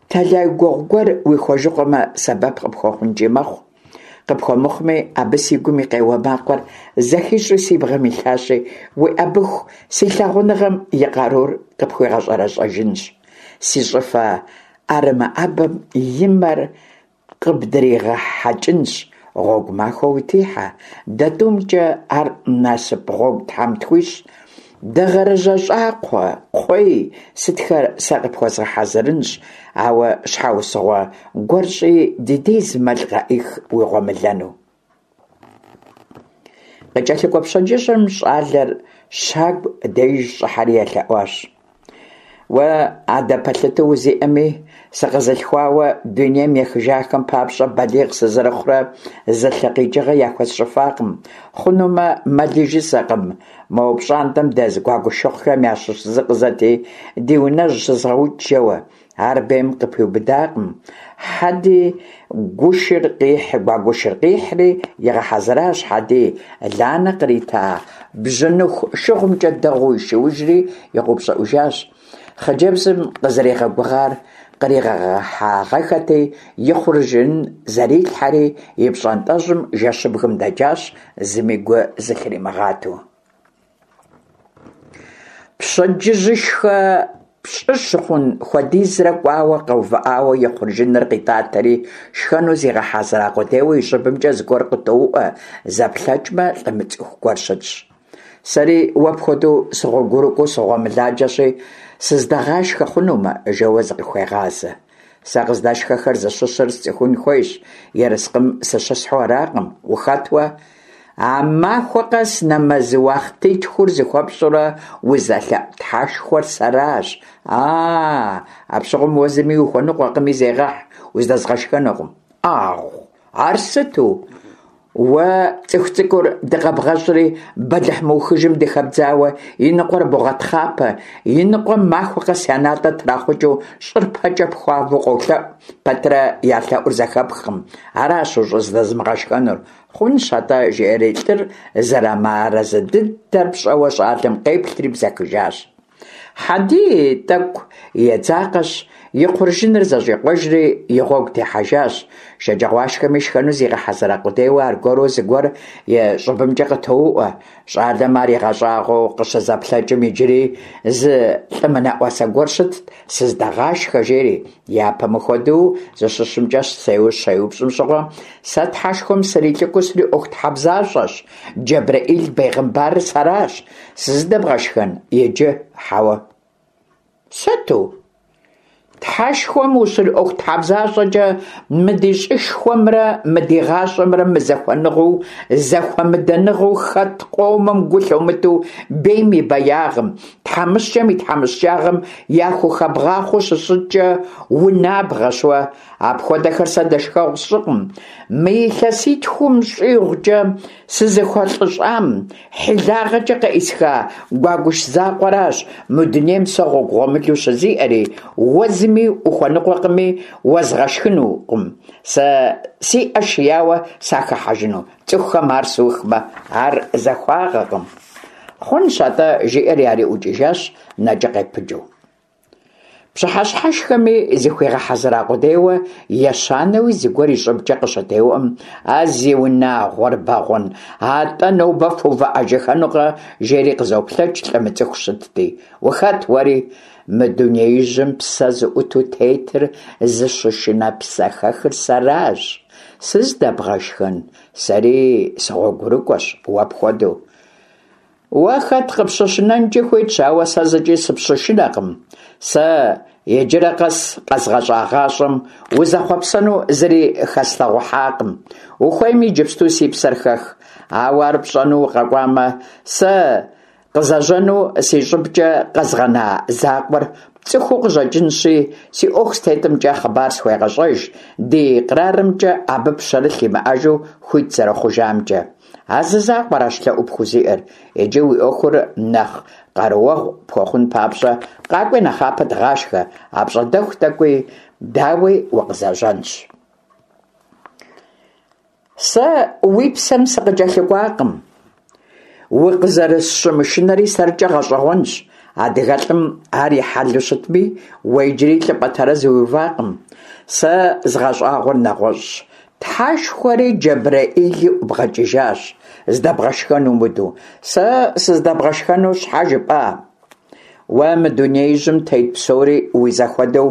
тэлай гугъу гуэр уихуэжыкъуэмэ, сэбэп къыпхуэхъункӏи мэхъу. Къыпхуэмыхъуми, абы си гум и къеуэ макъыр зэхищӏэу си бгъэм илъащи, уиӏэбыху си лъагъуныгъэм и къарур къыпхуигъэщӏэрэщӏэжынщ. Си щӏыфэ ӏэрымыӏэбэм и мэр къыбдригъэхьэкӏынщ, гъуэгу махуэ утихьэ, дэ тӏумкӏэ ар насып гъуэгу Тхьэм тхуищӏ. Дыгъэрыжьэ щӏакхъуэ, кхъуей сытхэр сэ къыпхуэзгъэхьэзырынщ, ауэ щхьэусыгъуэ гуэр щӏи ди дей зы мэл къэӏих уи гъуэмылэну. Къыкӏэлъыкӏуэ пщэдджыжьым щӏалэр щагу деж щӏыхьэри елъэӏуащ. Уэ адэ пэлъытэу узиӏэми, сыкъэзылъхуауэ дунейм ехыжахэм папщӏэ балигъ сызэрыхъурэ зы лъы къикӏыгъэ яхуэсщӏыфакъым. Хъунумэ, мэли жысӏэкъым, мо пщӏантӏэм дэз гуагушыхъухэм ящыщ зы къызэти, ди унэжь щызгъэукӏ жэуэ. Ар бейм къыпиубыдакъым. Хьэди гушыр къихь, гуагушыр къихьри игъэхьэзыращ Хьэдий, Ланэ кърита бжьыныху шыгъумкӏэ дэгъуэу ишыужри игъэупщӏыӏужащ. Хъыджэбзым къызэригъэгугъар. къригъэхьагъэххэти, и хъуржын зэрилъхьэри, и пщӏантӏэжьым жэщыбгым дэкӏащ, зыми гу зылъримыгъатэу. Пщэдджыжьышхэ пщӏы щыхъун хуэдизрэ кӏуауэ къэувыӏауэ и хъуржыныр къитӏатэри, шхэну зигъэхьэзыра къудейуэ и щӏыбымкӏэ зыгуэр къытоуӏуэ, зэплъэкӏмэ, лӏы мыцӏыху гуэр щытщ. Сэри уэ пхуэдэу сыгъуэгурыкӏуэу сыгъуэмыладжэщи, сызДэгъашхэ хъунумэ, жэуэ зыкъыхуегъазэ. Сэ къыздэшхэхэр зыщыщыр сцӏыхун хуейщ, ерыскъым сыщысхьу аракъым. Ухэт уэ? А махуэ къэс нэмэз уахътитхур зыхуэпщӏурэ узэлъэӏу Тхьэшхуэр сэращ. А-а, апщыгъуэм уэ зыми ухуэныкъуэкъыми зегъэхь, уздэзгъэшхэнукъым. ӏагъу, ар сыту? Уэ цӏыху цӏыкӏур дыкъэбгъэщӏри, бэлыхь мыухыжым дыхэбдзауэ, и ныкъуэр богъэтхъапэ, и ныкъуэм махуэ къэс я натӏэ трахъукӏыу щӏыр пэкӏэ пхуавэу къолъэӏу пэтрэ я лъэӏур зэхэпхкъым. Аращ ущӏыздэзмыгъэшхэнур. Хъунщ атӏэ, жиӏэри лӏыр зэрымыарэзы дыдэр пщӏэуэ щӏалэм къеплъри бзэхыжащ. Хьэдий тӏэкӏу едзакъэщ, и хъуржыныр зэщӏикъуэжри и гъуэгу техьэжащ. Шэджагъуашхэми шхэну зигъэхьэзыра къудейуэ аргуэру зыгуэр и щӏыбымкӏэ къытоуӏуэ. Щӏалэм ар игъэщӏагъуэу къыщызэплъэкӏым иджыри зы лӏы мынэӏуасэ гуэр щытт, сыздэгъашхэ, жери. Япэм хуэдэу зыщыщымкӏэ щеупщӏым щыгъуэ, сэ Тхьэшхуэм срилӏыкӏуэу сриӏуэхутхьэбзащӏэщ, Джэбрэӏил бегъымбарыр сэращ, Сыздэбгъэшхэн иджы, хьэуэ. Сыту? Тхьэшхуэм ущриӏуэхутхьэбзащӏэкӏэ мы ди щӏышхуэмрэ мы ди гъащӏэмрэ мызэхуэныгъэу, зэхуэмыдэныгъэу хэт къомым гу лъумытэу бейм и беягъым, тхьэмыщкӏэм и тхьэмыщкӏагъэм яхухэбгъахъуэу щыщыткӏэ унабгъэщ уэ. Апхуэдэхэр сэ дэшхэгъу сщӏыкъым. Мы илъэситхум щӏигъукӏэ сызыхуэлӏыщӏам, хьилагъэкӏэ къеӏысха гуэгуш закъуэращ мы дунейм сэ гъуэгу гъуэмылэу щызиӏэри, уэ зыми ухуэныкъуэкъыми, уэзгъэшхынукъым. Сэ си ӏэ шияуэ сахыхьэжыну цӏыхухэм ар сухмэ, ар захуагъэкъым. Хъунщ атӏэ, жиӏэри ари ӏукӏыжащ нэкӏэ къепыджу. Пщыхьэщхьэшхэми зыхуигъэхьэзыра къудейуэ, ещанэуи зыгуэр и щӏыбкӏэ къыщытеуӏуэм, А зи унагъуэр бэгъуэн, атӏэ нобэ фувыӏэжыхэнукъэ? жери къызоплъэкӏ лӏы мыцӏыху щытти. Ухэт уэри? Мы дунеижьым псэ зыӏуту тетыр зыщышынэ псэхэхыр сэращ. Сыздэбгъэшхэн? Сэри сыгъуэгурыкӏуэщ уэ пхуэдэу. Уэ хэт къыпщышынэнкӏи хуитщ, ауэ сэ зыкӏи сыпщышынэкъым. Сэ иджырэ къэс къэзгъэщӏа гъащӏэм узэхъуэпсэну зыри хэслъэгъухьакъым. Ухуейми иджыпсту си псэр хэх. Ауэ ар пщӏэну укъэкӏуамэ, сэ къызэжьэну си щӏыбкӏэ къэзгъэна закъуэр пцӏыхуу къыщӏэкӏынщи, си ӏуэху зытетымкӏэ хъыбар схуегъэщӏэж, ди кърарымкӏэ абы пщэрылъ имыӏэжу хуит зэрыхъужамкӏэ. А зы закъуэращ лъэӏу пхузиӏэр. Иджы уи ӏуэхур нэхъ къарууэгъу пхуэхъун папщӏэ, къакӏуи нэхъапэ дыгъашхэ, апщӏондэху тӏэкӏуи, дауи, укъызэжьэнщ. Сэ уи псэм сыкъыкӏэлъыкӏуакъым. Укъызэрысщымышынэри сэркӏэ гъэщӏэгъуэнщ. Адыгэлӏым ар и хьэлу щытми, уэ иджыри лӏыпӏэ тэрэз уиувакъым. Сэ згъэщӏагъуэр нэгъуэщӏщ. Тхьэшхуэри Джэбрэӏили ӏубгъэкӏыжащ, здэбгъэшхэн умыдэу. Сэ сыздэбгъэшхэну щхьэ жыпӏа? Уэ мы дунеижьым тет псори уи зэхуэдэу,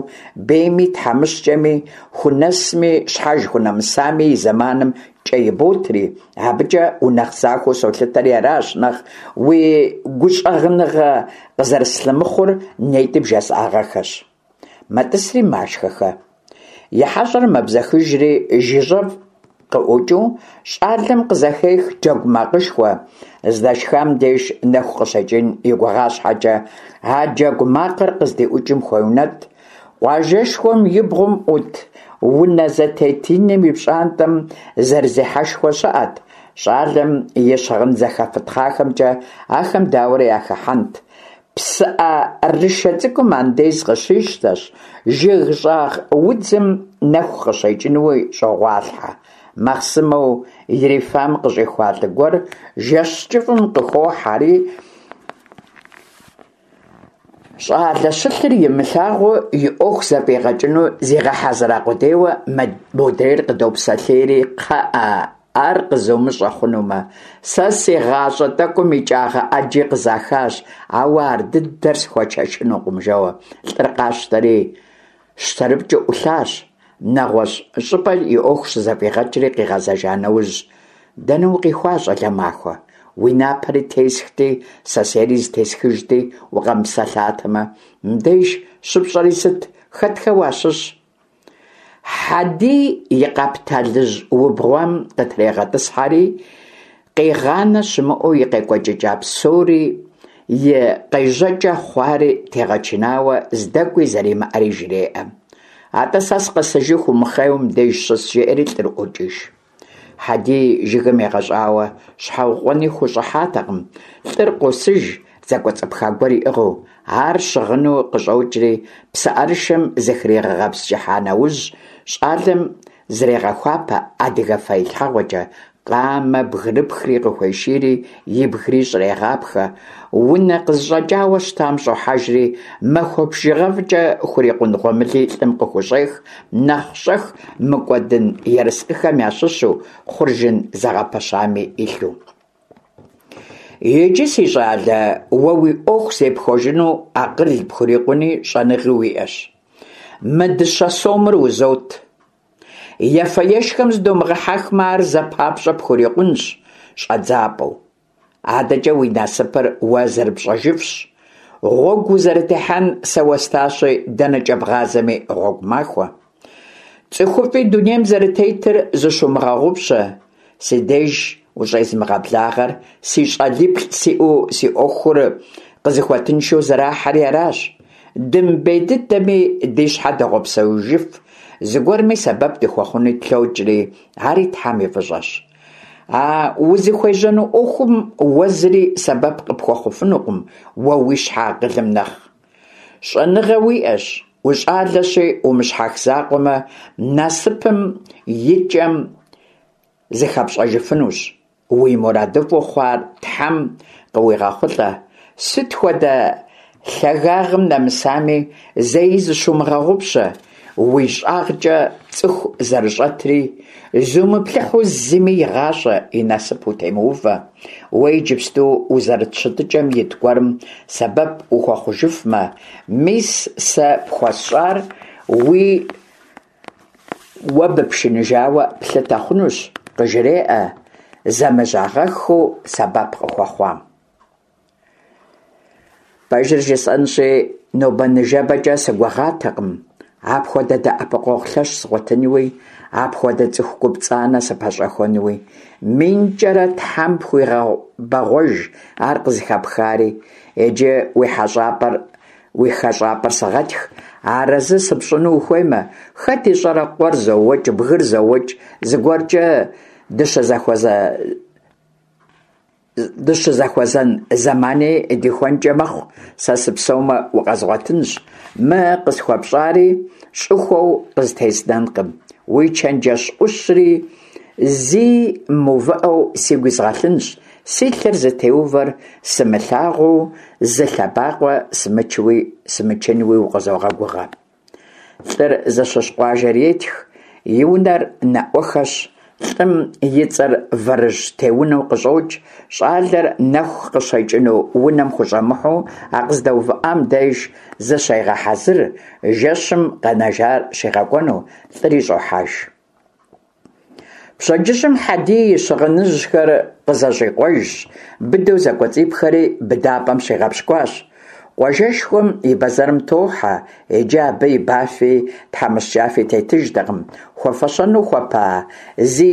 бейми тхьэмыщкӏэми, хунэсми щхьэж хунэмысами и зэманым кӏэ иботри, абыкӏэ унэхъ захуэу солъытэри аращ нэхъ уи гущӏэгъыныгъэ къызэрыслъымыхъур нетӏи бжесӏагъэххэщ. Мэтӏысри машхэхэ. И хьэщӏэр мэбзэхыжри, жыжьэфӏ къыӏукӏыу, щӏалэм къызэхех джэгу макъышхуэ, здэшхам деж нэху къыщекӏын и гугъа щхьэкӏэ, а джэгу макъыр къыздиӏукӏым хуеунэтӏ. Къуажэшхуэм и бгъум ӏут унэ зэтет иным и пщӏантӏэм зэрызехьэшхуэ щыӏэт. Щӏалэм и щыгъын зэхэфытхъахэмкӏэ ахэм дауэрэ яхыхьэнт? Псыӏэрышэ цӏыкӏум андез къыщищтэщ, жыг щӏагъ удзым нэху къыщекӏынуи щӏогъуалъхьэ. Махъсымэу ирифам къыщӏихуа лӏы гуэр жэщ кӏыфӏым къыхохьэри, Щӏалэ щылъыр имылъагъуу и ӏуэху зэфӏигъэкӏыну зигъэхьэзыра къудейуэ модрейр къыдопсэлъейри, кхъыӏэ, ар къызумыщӏэ хъунумэ, сэ си гъащӏэ тӏэкӏум икӏагъэ ӏэджи къызахащ, ауэ ар дыдэр схуэшэчынукъым, жэуэ лӏыр къащтэри щтэрыпкӏыу ӏулъащ. Нэгъуэщӏ щӏыпӏэ и ӏуэху щызэфӏигъэкӏри къигъэзэжа нэужь, дэнэ укъихуа, щӏалэ махуэ? Уи напэри тесхти, сэсейри зытесхыжти, укъэмыпсэлъатэмэ. Мыбдеж щыпщӏэри сыт, хэтхэ уащыщ? Хьэдий и къэпталыжь убгъуам къытрегъэтӏысхьэри, къигъанэ щымыӏэу и къекӏуэкӏыкӏа псори, и къежьэкӏэ хъуари тегъэчынауэ здэкӏуи зэримыӏэри жреӏэ. Атӏэ сэ сыкъэсыжыху умыхъейуэ мыбдеж щыс, жеӏэри лӏыр ӏуокӏыж. Хьэдий жыгым егъэщӏауэ щхьэукъуэни хущӏыхьатэкъым. Лӏыр къосыж, зэкӏуэцӏыпха гуэр иӏыгъыу. Ар щыгъыну къыщӏокӏри, псыӏэрышэм зыхригъэгъэпскӏыхьа нэужь, щӏалэм зрегъэхуапэ адыгэ фэилъхьэгъуэкӏэ, къамэ бгырыпхри къыхуешийри, ибгри щӏрегъапхэ. Унэ къызыщӏэкӏауэ щытам щӏохьэжри, махуэ бжыгъэфӏкӏэ хурикъун гъуэмыли лӏым къыхущӏех, нэхъ щӏэх мыкӏуэдын ерыскъыхэм ящыщу хъуржын зэгъэпэщами илъу. Иджы, си щӏалэ, уэ уи ӏуэху зепхуэжыну акъыл пхурикъуни щӏэныгъи уиӏэщ. Мы дыщэ сомыр узот. Ефэ-ешхэм зыдомыгъэхьэхмэ, ар зэ папщӏэ пхурикъунщ щӏэдзапӏэу. Адэкӏэ уи насыпыр уэ зэрыпщӏэжыфщ. Гъуэгу узэрытехьэн сэ уэстащи, дэнэкӏэ бгъазэми гъуэгу махуэ. Цӏыхуфӏи дунейм зэрытетыр зыщумыгъэгъупщэ. Си деж ущӏезмыгъэблагъэр си щӏалиплӏ сиӏэу си ӏуэхур къызыхуэтыншэу зэрахьэри аращ. Дымыбей дыдэми, ди щхьэ догъэпсэужыф, зыгуэрми сэбэп дыхуэхъуни тлъокӏри, ари Тхьэм и фӏыщӏэщ. А узыхуежьэну ӏуэхум уэ зыри сэбэп къыпхуэхъуфынукъым уэ уи щхьэ акъылым нэхъ. Щӏэныгъэ уиӏэщ, ущӏалэщи, умыщхьэх закъуэмэ, насыпым и кӏэм зыхэпщӏэжыфынущ. Уи мурадыфӏу хъуар Тхьэм къыуигъэхъулӏэ. Сыт хуэдэ лъагагъым нэмысами, зэи зыщумыгъэгъупщэ, уи щӏагъкӏэ цӏыху зэрыщӏэтри, зумыплъыхьу зыми и гъащӏэ, и насып утемыувэ. Уэ иджыпсту узэрыт щытыкӏэм ит гуэрым сэбэп ухуэхъужыфмэ, мис сэ пхуэсщӏар уи уэ быпшыныжауэ плъытэ хъунущ, къыжреӏэ зэмыжьагъэххэу сэбэп къыхуэхъуам. Пэжыр жысӏэнщи, нобэ-ныжэбэкӏэ сыгугъатэкъым апхуэдэ дэӏэпыкъуэгъу лъэщ згъуэтынуи, апхуэдэ цӏыху гупцӏанэ сыпэщӏэхуэнуи. Минкӏэрэ Тхьэм пхуигъэбэгъуэж ар къызыхэпхари. Иджы уи хьэщӏапӏэр Уи хэщӏапӏэр сыгъэтх, арэзы сыпщӏыну ухуеймэ, хэт ищӏэрэ, къуэр зоуэкӏ, бгыр зоуэкӏ, зыгуэркӏэ дыщызэхуэзэн зэмани дихуэнкӏэ мэхъу, сэ сыпсэумэ, укъэзгъуэтынщ, мы къысхуэпщӏари щӏыхуэу къызытезнэнкъым, уи чэнджэщ ӏущри зи мыувыӏэу сигу изгъэлъынщ, Си лъэр зытеувэр сымылъагъуу зы лъэбакъуэ сымычуи сымычынуи укъызогъэгугъэ. Лӏыр зыщыщ къуажэр етх, и унэр наӏуэхэщ, лӏым и цӏэр Вэрыжь Теунэу къыщӏокӏ, щӏалэр нэху къыщекӏыну унэм хущӏэмыхьэу а къыздэувыӏам деж зыщегъэхьэзыр, жэщым къэнэжар щигъэкӏуэну, лӏыри щӏохьэж. Пщэдджыжьым Хьэдий и щыгъыныжьхэр къызэщӏикъуэжщ, быдэу зэкӏуэцӏипхэри быдапӏэм щигъэпщкӏуащ. Къуажэшхуэм и бэзэрым тохьэ, иджы абы ибафи тхьэмыщкӏафи тетыжтэкъым, хуэфэщэну хуэпа зи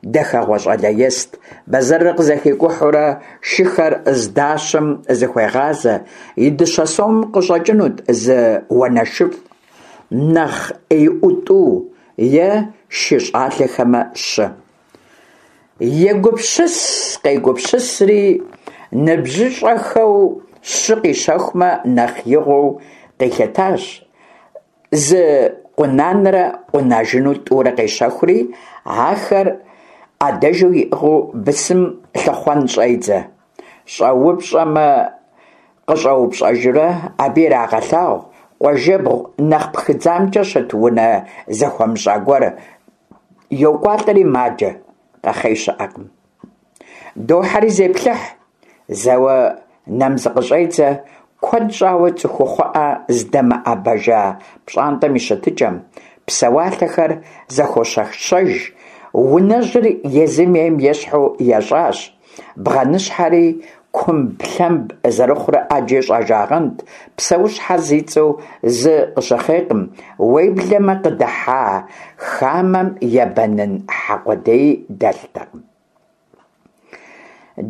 дахэгъуэ щӏалэ ест. Бэзэрыр къызэхикӏухьурэ шыхэр здащэм зыхуегъазэ, и дыщэ сомым къыщӏэкӏынут зы уанэшыфӏ. Нэхъ ӏеиӏуэу тӏу е шы щӏалэхэмэ щы. Егупсыс-къегупсысри, ныбжьыщӏэхэу щы къищэхумэ нэхъ игъуэу къилъытащ. Зы къунанрэ къунажыну тӏурэ къещэхури, ахэр ӏэдэжу иӏыгъыу бысым лъыхъуэн щӏедзэ. Щӏэупщӏэмэ. Къыщӏэупщӏэжурэ, абы ирагъэлъагъу къуажэбгъу нэхъ пхыдзамкӏэ щыт унэ зэхуэмыщӏа гуэр. Йокӏуалӏэри маджэ, къэхъей щыӏэкъым. Дохьэри зеплъыхь, зэуэ нэм зыкъыщӏедзэ, куэд щӏауэ цӏыхухъуӏэ здэмыӏэбэжа пщӏантӏэм и щытыкӏэм, псэуалъэхэр зэхощэщэж, унэжьыр езым ейм ещхьу ещӏащ, бгъэныщхьэри кумблъэмб зэрыхъурэ ӏэджи щӏэжагъэнт, псэущхьэ зи цӏэу зы къыщыхъейкъым, уеблэмэ къыдыхьа хамэм ебэнын хьэ къудеи дэлътэкъым.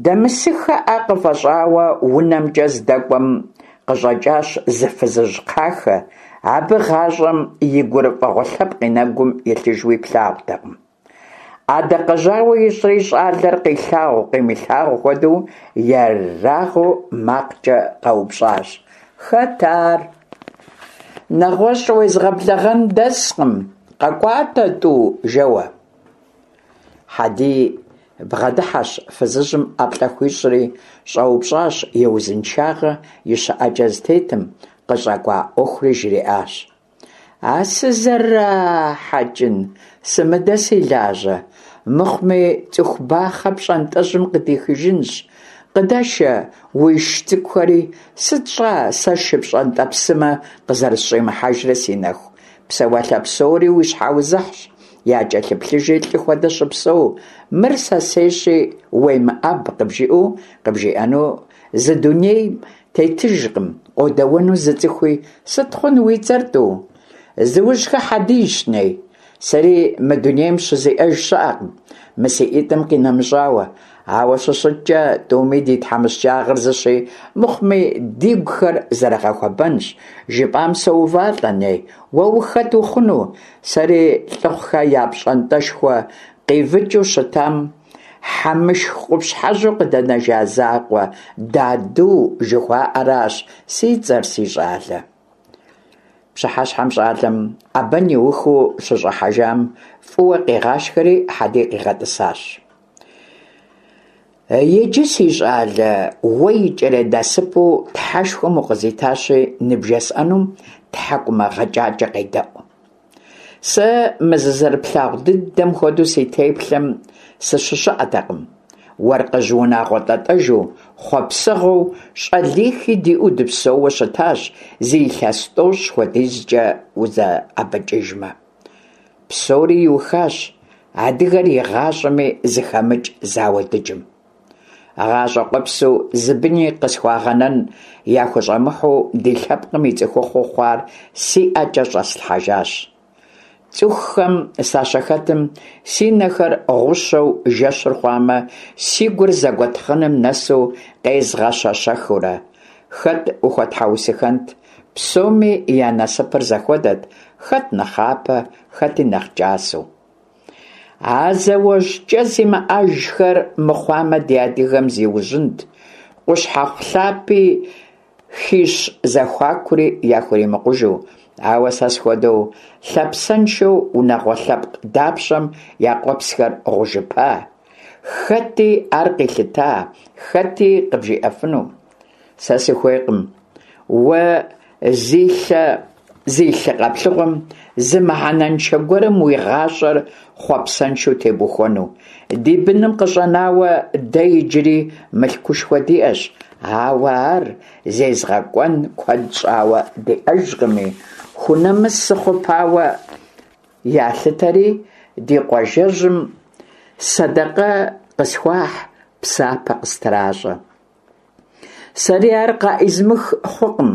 Дэмысыххэӏэ къыфӏэщӏауэ унэмкӏэ здэкӏуэм къыщӏэкӏащ зы фызыжь кхъахэ, абы гъащӏэм и гурыфӏыгъуэ лъэпкъ и нэгум илъыжуи плъагъутэкъым. Ӏэдакъэжьауэ ищӏри щӏалэр къилъагъу-къимылъагъу хуэдэу ерагъыу макъкӏэ къэупщӏащ: Хэт ар? Нэгъуэщӏ уезгъэблэгъэн дэскъым, къэкӏуатэ, тӏу, жэуэ. Хьэдий бгъэдыхьэщ, фызыжьым ӏэплӏэ хуищӏри, щӏэупщӏащ и узыншагъэ, и щыӏэкӏэ зытетым, къыщӏэкӏуа ӏуэхури жриӏащ. А сызэрахьэкӏын, сымыдэ си лажьэ, мыхъуми цӏыху бахъэ пщӏантӏэжьым къыдихыжынщ. Къыдэшэ уиш цӏыкӏухэри, сыт щӏа сэ шы пщӏэнтӏэпсымэ къызэрысщӏимыхьэжрэ си нэху, псэуалъэ псори уи щхьэузыхьщ, якӏэлъыплъыжи лӏы хуэдэ щыпсэу, мыр сэсейщи уемыӏэб къыбжиӏэу къыбжиӏэну зы дунейм тетыжкъым, къодэуэну зы цӏыхуи, сыт хъун уи цӏэр, тӏу? Зыужьхэ Хьэдийщ, ней. Сэри мы дунейм щызиӏэж щыӏэкъым, мы си ӏитӏым къинэмыщӏауэ. Ауэ щыщыткӏэ, тӏуми ди тхьэмыщкӏагъэр зыщи, мыхъуми, дигухэр зэрыгъэхуэбэнщ. Жыпӏам соувалӏэ, ней, уэ ухэт ухъуну? Сэри Лӏыхъухэ я пщӏантӏэшхуэ къивыкӏыу щытам Хьэмышх къупщхьэжьу къыдэнэжа закъуэ Даду жыхуаӏэращ си цӏэр, си щӏалэ. Пщыхьэщхьэм щӏалэм ӏэбэн иухыу щыщӏыхьэжам фӏыуэ къигъашхэри Хьэдий къигъэтӏысащ. Иджы, си щӏалэ, уэ икӏэрей насыпу Тхьэшхуэм укъызитащи, ныбжесӏэнум тхьэкӏумэ гъэкӏакӏэ къедэӏу. Сэ мы зызэрыплъагъу дыдэм хуэдэу си теплъэм сыщыщыӏэтэкъым. Уэркъыжь унагъуэ тӏэтӏэжу, хъуэпсэгъуэу, щӏалихи диӏэу дыпсэууэ щытащ зы илъэс тӏощӏ хуэдизкӏэ узэӏэбэкӏыжмэ. Псори иухащ адыгэр игъащӏэми зыхэмыкӏ зауэ дыджым. Гъащӏэ къуэпсу зы быни къысхуагъэнэн яхущӏэмыхьу ди лъэпкъым и цӏыхухъуу хъуар си ӏэкӏэ щӏэслъхьэжащ. Цӏыхухэм сащыхэтым, си нэхэр гъущэу жэщыр хъуамэ, си гур зэгуэтхъыным нэсу къезгъэщэщэхыурэ. Хэт ухуэтхьэусыхэнт? Псоми я насыпыр зэхуэдэт, хэт нэхъапэ, хэти нэхъ кӏасэу. А зауэжь кӏэ зимыӏэжхэр мыхъуамэ, ди адыгэм зиужьынт, къущхьэхъу лъапи хищ зэхуакури яхуримыкъужу. Ауэ сэ схуэдэу лъапсэншэу унагъуэ лъэпкъ дапщэм я къуэпсхэр гъужыпа? Хэти ар къилъыта, хэти къыбжиӏэфыну? Сэ сыхуейкъым уэ зи лъэ зи лъы къэплъыгъуэм зы мыхьэнэншэ гуэрым уи гъащӏэр хъуэпсэншэу тебухуэну. Ди быным къыщӏэнауэ дэ иджыри мылъкушхуэ диӏэщ, ауэ ар зезгъэкӏуэн куэд щӏауэ диӏэжкъыми, хунэмыс сыхъупауэ ялъытэри, ди къуажэжьым сэдэкъэ къысхуахь, псапэ къыстращӏэ. Сэри ар къаӏизмых хъукъым,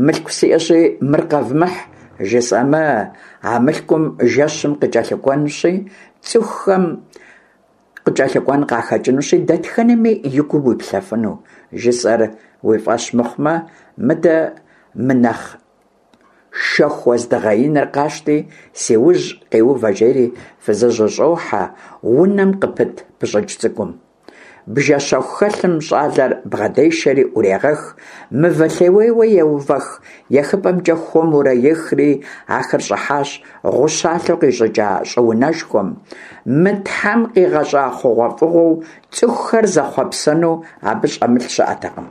мылъку сиӏэщи, мыр къэвмыхь, жысӏэмэ, а мылъкум жэщым къыкӏэлъыкӏуэнущи, цӏыхухэм къыкӏэлъыкӏуэн къахэкӏынущи, дэтхэнэми и гум уиплъэфыну, жысӏэр уи фӏэщ мыхъумэ, мыдэ мы нэхъ Шэху уэздыгъэ иныр къащти, си ужь къиувэ, жери фызыжьыр щӏохьэ унэм къыпыт пыщӏыкӏ цӏыкӏум. Бжэ щэху хэлъым щӏалэр бгъэдешэри ӏурегъэх, мывэ лъеуейуэ еувэх ехыпӏэмкӏэ хуэмурэ ехри, ахэр щӏыхьащ гъущалъэу къищӏыкӏа щӏыунэшхуэм. Мы Тхьэм къигъэщӏа хъугъуэфӏыгъуэу цӏыхухэр зэхъуэпсэну абы щӏэмылъ щыӏэтэкъым.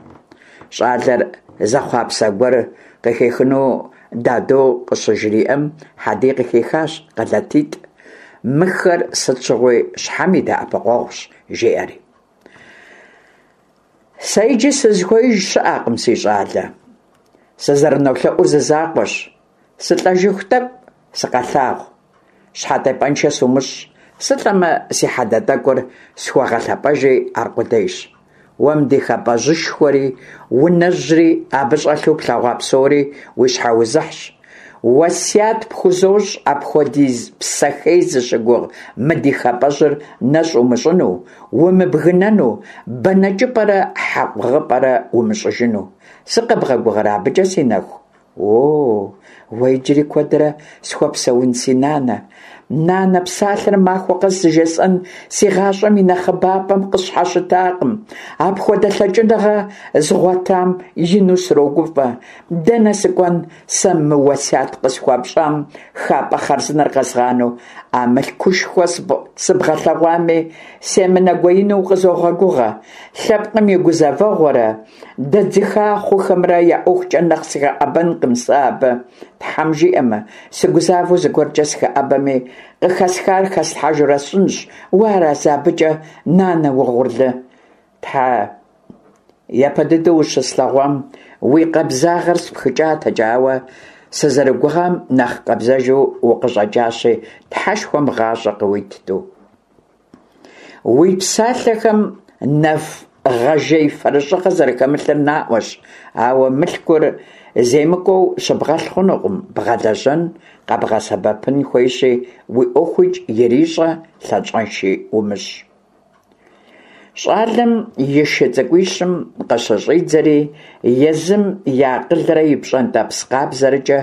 Щӏалэр. Зэхъуапсэ гуэр къыхихыну Даду къыщыжриӏэм, Хьэдий къыхихащ къэлатитӏ. Мыхэр сыт щыгъуи щхьэм и дэӏэпыкъуэгъущ, жиӏэри. Сэ иджы сызыхуеиж щыӏэкъым, си щӏалэ. Сызэрынолъэӏур зы закъуэщ. Сылӏэжыху тӏэкӏу сыкъэлъагъу. Щхьэтепӏэншэ сумыщӏ, сылӏэмэ, си хьэдэ тӏэкӏур схуэгъэлъэпӏэжи аркъудейщ. Уэ мы ди хапӏэжьышхуэри, унэжьри, абы щӏэлъу плъэгъуа псори уи щхьэузыхьщ. Уэсят пхузощӏ апхуэдиз псэ хей зыщыгугъ мы ди хапӏэжьыр нэщӏ умыщӏыну, умыбгынэну, бэнэкӏыпӏэрэ хьэкъугъыпӏэрэ умыщӏыжыну. Сыкъэбгъэгугъэрэ абыкӏэ, си нэху? О, уэ иджыри куэдрэ схуэпсэун, си нанэ. Нанэ псалъэр махуэ къэс зыжесӏэн си гъащӏэм и нэхъыбапӏэм къысщхьэщытакъым. Апхуэдэ лъэкӏыныгъэ згъуэтам ину срогуфӏэ. Дэнэ сыкӏуэн сэ мы уэсят къысхуэпщӏам хапӏэ хъарзынэр къэзгъанэу? А мылъкушхуэ сыбгъэлъэгъуами, семынэгуеину укъызогъэгугъэ. Лъэпкъым и гузэвэгъуэрэ Дэдзыха хъухэмрэ я ӏуэхукӏэ нэхъ сыхэӏэбэнкъым сэ абы, Тхьэм жиӏэмэ, сыгузавэу зыгуэркӏэ сыхэӏэбэми, къыхэсхар хэслъхьэжурэ сщӏынщ, уэ арэзы абыкӏэ, нанэ угъурлы? Тхьэ, япэ дыдэу ущыслъэгъуам уи къабзагъэр спхыкӏатэкӏэ, ауэ сызэрыгугъам нэхъ къабзэжу укъыщӏэкӏащи, Тхьэшхуэм гъащӏэ къыуит, тӏу. Уи псалъэхэм нэфгъэжей фэрыщӏыгъэ зэрыхэмылъыр наӏуэщ, ауэ мылъкур земыкӏуэу щыбгъэлъ хъунукъым, бгъэлэжьэн, къэбгъэсэбэпын хуейщи, уи ӏуэхуикӏ ирищӏэ, лъащӏэнши умыщӏ. Щӏалэм и шы цӏыкӏуищым къыщыщӏидзэри, езым и акъылрэ и пщӏэнтӏэпс къабзэрэкӏэ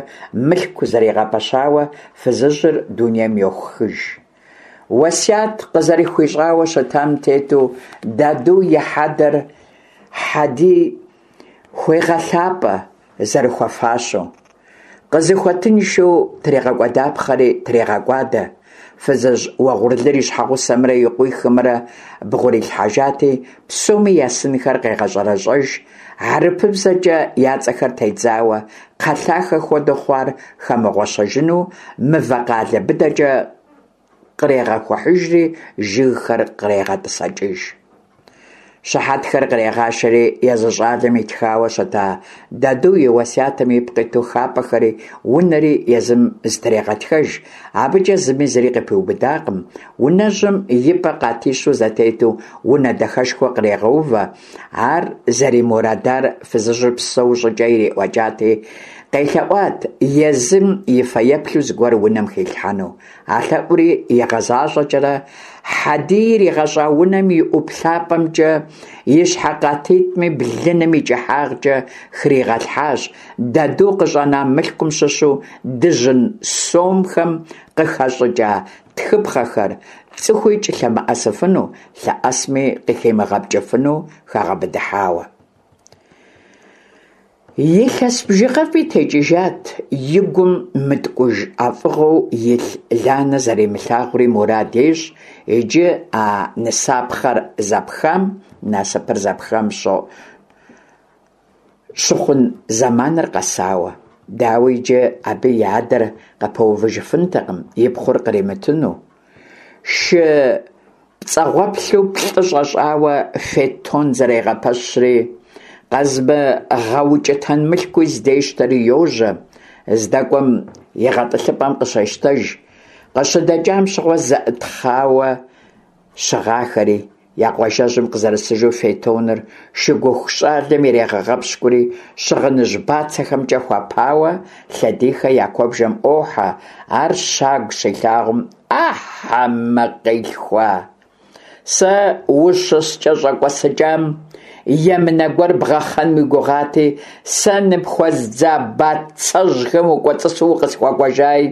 мылъку зэригъэпэщауэ фызыжьыр дунейм йохыж. Уэсят къызэрыхуищӏауэ щытам тету, Даду и хьэдэр Хьэдий хуегъэлъапӏэ зэрыхуэфащэу. Къызыхуэтыншэу тригъэкӏуэдапхъэри трегъэкӏуадэ. Фызыжь уэгъурлыр и щхьэгъусэмрэ и къуихымрэ бгъурилъхьэжати, псоми я сынхэр къегъэщӏэрэщӏэж, хьэрыпыбзэкӏэ я цӏэхэр тедзауэ, кхъэлъахэ хуэдэу хъуар хэмыгъуэщэжыну мывэ къалэ быдэкӏэ кърегъэхухьыжри, жыгхэр кърегъэтӏысэкӏыж. Щыхьэтхэр кърегъашэри, езы щӏалэм итхауэ щыта Даду и уэсятым ипкъ иту хапӏэхэри унэри езым зытрегъэтхэж, абыкӏэ зыми зыри къыпиубыдакъым, унэжьым и пӏэ къатищу зэтету унэ дахэшхуэ кърегъэувэ, Ар зэримурадар фызыжьыр псэу щӏыкӏэ ириӏуэкӏати, къелъэӏуат езым и фэеплъу зыгуэр унэм хилъхьэну. А лъэӏури игъэзащӏэкӏэрэ, Хьэдий иригъэщӏа унэм и ӏуплъапӏэмкӏэ и щхьэ къатитӏми блыным и кӏыхьагъкӏэ хригъэлъхьащ Даду къыщӏэна мылъкум щыщу дыжьын сомхэм къыхэщӏыкӏа тхыпхъэхэр, цӏыхуикӏ лъэмыӏэсыфыну, лъэӏэсми къыхимыгъэпкӏыфыну хэгъэбыдыхьауэ. Илъэс бжыгъэфӏи текӏыжат и гум мыткӏуж ӏэфӏыгъэу илъ Ланэ зэримылъагъури мурад ещӏ, иджы а нысапхъэр зэпхам, насыпыр зэпхам щыхъун зэманыр къэсауэ. Дауи, иджы абы и адэр къыпэувыжыфынтэкъым и пхъур къримытыну. Шы пцӏэгъуэплъу плӏы щӏэщӏауэ фетон зэрегъэпэщри, къэзымыгъэукӏытэн мылъкуи здещтэри йожьэ, здэкӏуэм и гъэтӏылъыпӏэм къыщещтэж, къыщыдэкӏам щыгъуэ зэӏытхъауэ щыгъахэри, я къуажэжьым къызэрысыжу фетоныр шыгуху щӏалэм ирегъэгъэпщкӏури, щыгъыныжь бацэхэмкӏэ хуэпауэ Лъэдийхэ я куэбжэм ӏуохьэ, ар щагу щилъагъум, А хьэмэ къилъхуа! Сэ ущыскӏэщӏэкӏуэсыкӏам емынэ гуэр бгъэхъэн уи гугъати, сэ ныпхуэздза бацэжьхэм укӏуэцӏысу укъысхуэкӏуэжаи.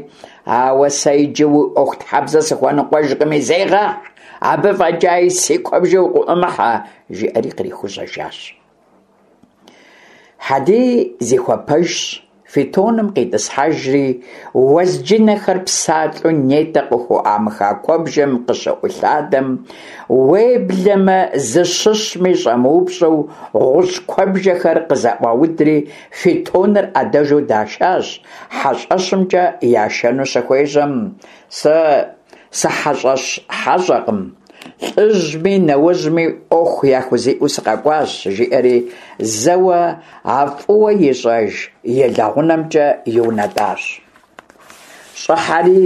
Ауэ сэ иджы уи ӏуэхутхьэбзэ сыхуэныкъуэжкъыми, зегъэхь, абы фӏэкӏаи си куэбжэ укъыӏумыхьэ, жиӏэри кърихужьэжащ. Хьэдий зихуэпэжщ. Фитоным къитӏысхьэжри, уэзджынэхэр псалъэу нетӏэ къыхуӏуамыха куэбжэм къыщыӏулъадэм, уеблэмэ зыщыщми щӏэмыупщӏэу гъущӏ куэбжэхэр къызэӏуаудри, фитоныр ӏэдэжу дашащ, хьэщӏэщымкӏэ яшэну щыхуежьэм, Сэ сыхьэщӏэщ хьэщӏэкъым, лӏыжьми нэужьми ӏуэху яхузиӏэу сыкъэкӏуащ, жиӏэри зэуэ а фӏыуэ ищӏэж и лэгъунэмкӏэ иунэтӏащ. Щӏыхьэри,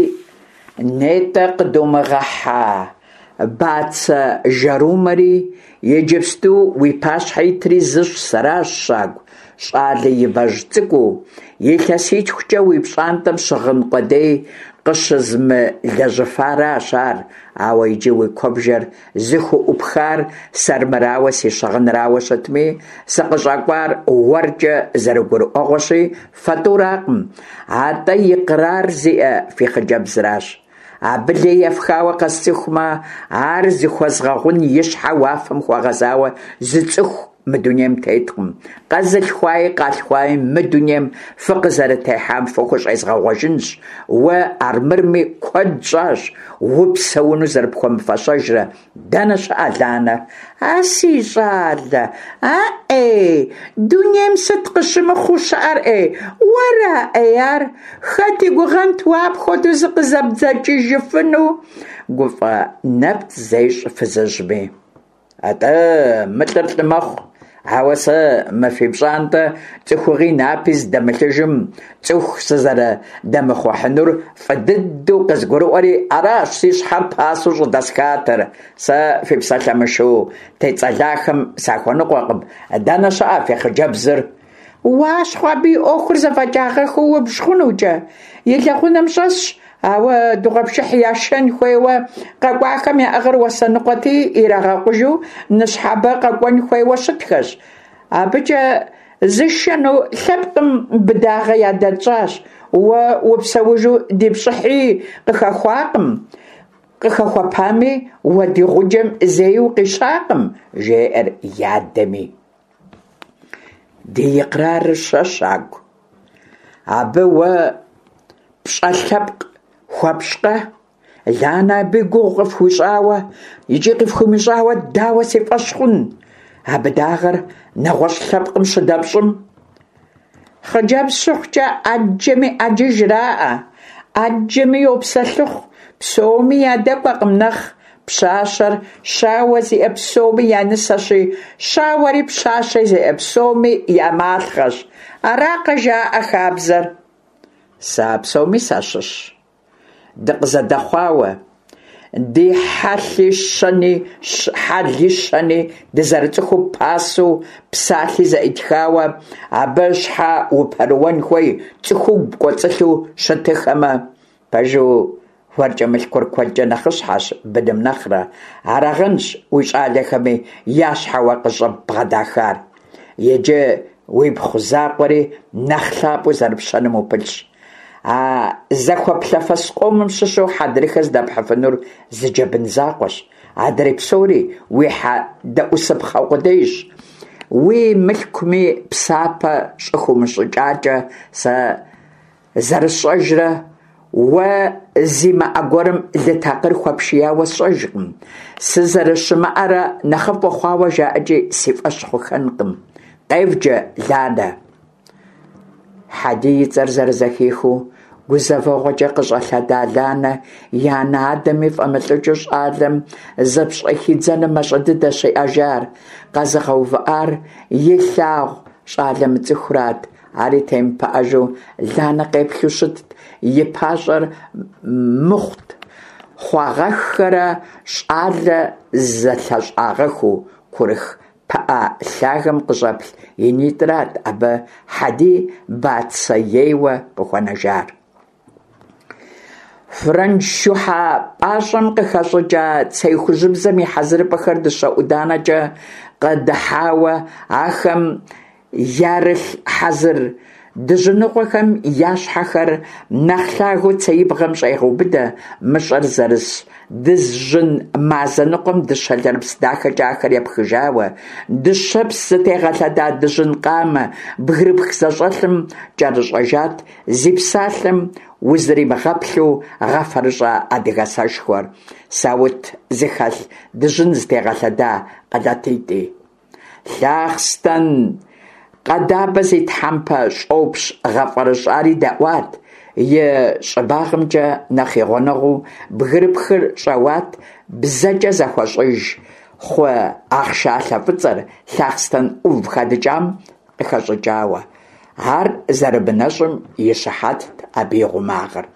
нетӏэ къыдумыгъэхьа бацэ жэрумэри, иджыпсту уи пащхьэ итри зыщ, сэращ, щагу щӏалэ ибэжь цӏыкӏуу, илъэситхукӏэ уи пщӏантӏэм щыгъын къудей къыщызмылэжьыфаращ ар, ауэ иджы уи куэбжэр зыхуӏупхар сэрмырауэ си щыгъынрауэ щытми, сыкъыщӏэкӏуар уэркӏэ зэрыгурыӏуэгъуэщи, фэ тӏуракъым, атӏэ икърар зиӏэ фи хъыджэбзращ. Абы лей ефхауэ къэсцӏыхумэ, ар зыхуэзгъэгъун и щхьэ уафэм хуэгъэзауэ зы цӏыху мы дунейм теткъым. Къэзылъхуаи къалъхуаи мы дунейм фыкъызэрытехьам фыхущӏезгъэгъуэжынщ. Уэ армырми куэд щӏащ упсэуну зэрыпхуэмыфэщэжрэ. Дэнэ щыӏэ Ланэ? А си щӏалэ, а ӏей, дунейм сыт къыщымыхъуу щыӏэр ӏей, уэра ӏей ар? Хэт и гугъэнт уэ апхуэдэу зыкъызэбдзэкӏыжыфыну? Гуфӏэ нэпцӏ зещӏ фызыжьми. Атӏэ, мы лӏыр лӏы мэхъу, ауэ сэ мы фи пщӏантӏэ цӏыхугъи напи зыдэмылъыжым цӏыху сызэрыдэмыхъухьынур фӏы дыдэу къызгурыӏуэри, аращ си щхьэр пасэу щӏыдэсхатэр. Сэ фи псалъэ мышыу тецӏэлахэм сахуэныкъуэкъым. Дэнэ щыӏэ фи хъыджэбзыр? Уащхъуэ, абы и ӏуэхур зэфӏэкӏагъэхыу убж хъунукӏэ. И лэгъунэм щӏэсщ, ауэ дыгъуэпшыхь яшэн хуейуэ къэкӏуахэм яӏыгъыр уасэныкъуэти, ирагъэкъужу ныщхьэбэ къэкӏуэн хуейуэ щытхэщ. Абыкӏэ зышэну лъэпкъым быдагъэ ядэтщӏащ. Уэ упсэужу ди пщӏыхьи къыхэхуакъым, къыхэхуэпами, уэ ди гъуджэм зэи укъищакъым, жеӏэр и адэми. Ди икърарыр щэ, щагу? Абы уэ пщӏэ лъэпкъ хуэпщӏкъэ? Ланэ абы и гугъу къыфхуищӏауэ икӏи къыфхуимыщӏауэ дауэ си фӏэщ хъун? А быдагъэр нэгъуэщӏ лъэпкъым щыдэпщӏым? Хъыджэбз щыхъукӏэ ӏэджэми ӏэджи жраӏэ, ӏэджэми йопсэлъыхъу, псоми ядэкӏуэкъым нэхъ. Пщащэр щауэ зиӏэ псоми я нысэщи, щауэри пщащэ зиӏэ псоми я малъхъэщ. Аракъэ жаӏэ хабзэр? Сэ а псоми сащыщ. Дыкъызэдэхъуауэ, ди хьэлъи щэни, хьэли щэни дызэрыцӏыхуу пасэу псалъи зэӏитхауэ, абы щхьэ упэрыуэн хуей цӏыхугу пкӏуэцӏылъу щытыхэмэ, пэжу уэркӏэ мылъкур куэдкӏэ нэхъыщхьэщ быным нэхърэ, арагъэнщ уи щӏалэхэми я щхьэ уэ къыщӏыббгъэдахар. Иджы уипхъу закъуэри нэхъ лъапӏэу зэрыпщэным упылъщ. А зэхуэплъэфэс къомым щыщу хьэдрыхэ здэпхьыфынур зы джэбын закъуэщ, адрей псори уи хьэдэӏусыпхъэ къудейщ. Уи мылъкуми псапэ щӏыхыумыщӏыкӏакӏэ, сэ зэрысщӏэжрэ уэ зимыӏэ гуэрым лы такъыр хуэпшияуэ сщӏэжкъым. Сызэрыщымыӏэрэ нэхъыфӏ ухъуауэ жаӏэкӏи си фӏэщ хъухэнкъым. Къевджэ, Ланэ. Хьэдий и цӏэр зэрызэхихыу, гузэвэгъуэкӏэ къыщӏэлъэда Ланэ и анэ-адэми фӏэмылӏыкӏыу щӏалэм зыпщӏыхидзэным мащӏэ дыдэщ иӏэжар. Къэзыгъэувыӏар илъагъу щӏалэ мыцӏыхурат. Ари темыпыӏэжу Ланэ къеплъу щытт, и пащӏэр мыхъут хъуагъэххэрэ щӏалэ зэлъэщӏагъэхыу курых Пыӏэ лъагэм къыщӏэплъ и нитӏрат абы Хьэдий бацэ ейуэ къыхуэнэжар. Фрэндж шухьэ пӏащӏэм къыхэщӏыкӏа цей хужьыбзэм и хьэзырыпӏэхэр дыщэ ӏуданэкӏэ къэдыхьауэ, ахэм ярылъ хьэзыр. Дыжьыныгъуэхэм я щхьэхэр нэхъ лъагэу цеибгъэм щӏегъэубыдэ мыщӏэр зэрыс дыжьын мазэ ныкъуэм дыщэ лэрыпс дахэкӏэ ахэр епхыжауэ, дыщэпс зытегъэлъэда дыжьын къамэ бгырыпх зэщӏэлъым кӏэрыщӏэжат зи псалъэм узримыгъэплъу гъэфэрыщӏа адыгэ сэшхуэр, саут зыхэлъ дыжьын зытегъэлъэда къэлатитӏи. Лъахъстэн къэдабэ зи тхьэмпэ щӏопщ гъэфӏэрыщӏари дэӏуат, и щӏыбагъымкӏэ нэхъ и гъунэгъуу бгырыпхыр щӏэуат, бзэкӏэ зэхуэщӏыж хъу ахъшалъэ фӏыцӏэр лъахъстэн ӏув хэдыкӏам къыхэщӏыкӏауэ. Ар зэрымынэщӏым и щыхьэтт абы и гъумагъыр.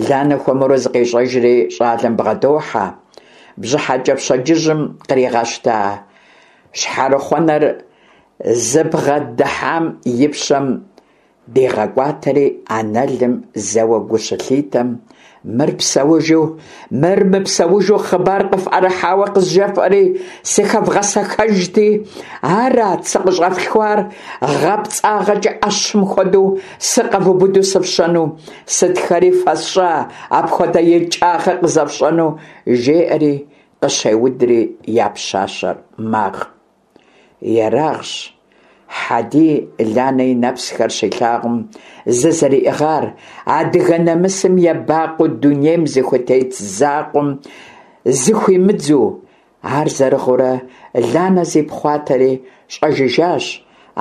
Ланэ хуэмурэ зыкъещӏэжри щӏалэм бгъэдохьэ. Бжьыхьэкӏэ пщэдджыжьым къригъэщта щхьэрыхъуэнэр зыбгъэдыхьам и пщэм дигъэкӏуатэри анэлым зэуэ гу щылъитэм, Мыр псэужу, мыр мыпсэужу хъыбар къыфӏэрыхьауэ къызжефӏэри, сыхэвгъэсэхэжти, арат сыкъыщӏэфлъхуар, гъэпцӏагъэкӏэ ӏэщым хуэдэу сыкъэвубыду сыфщэну, сытхэри фэсщӏа апхуэдэ икӏагъэ къызэфщӏэну, жеӏэри къыщеудри я пщащэр магъ. Ерагъщ Хьэдий Ланэ и нэпсхэр щилъагъум зызэриӏыгъар, адыгэ нэмысым ебакъуэу дунейм зыхутет закъуэм зыхуимыдзу. Ар зэрыгъыурэ Ланэ зипхъуатэри щӏэжыжащ,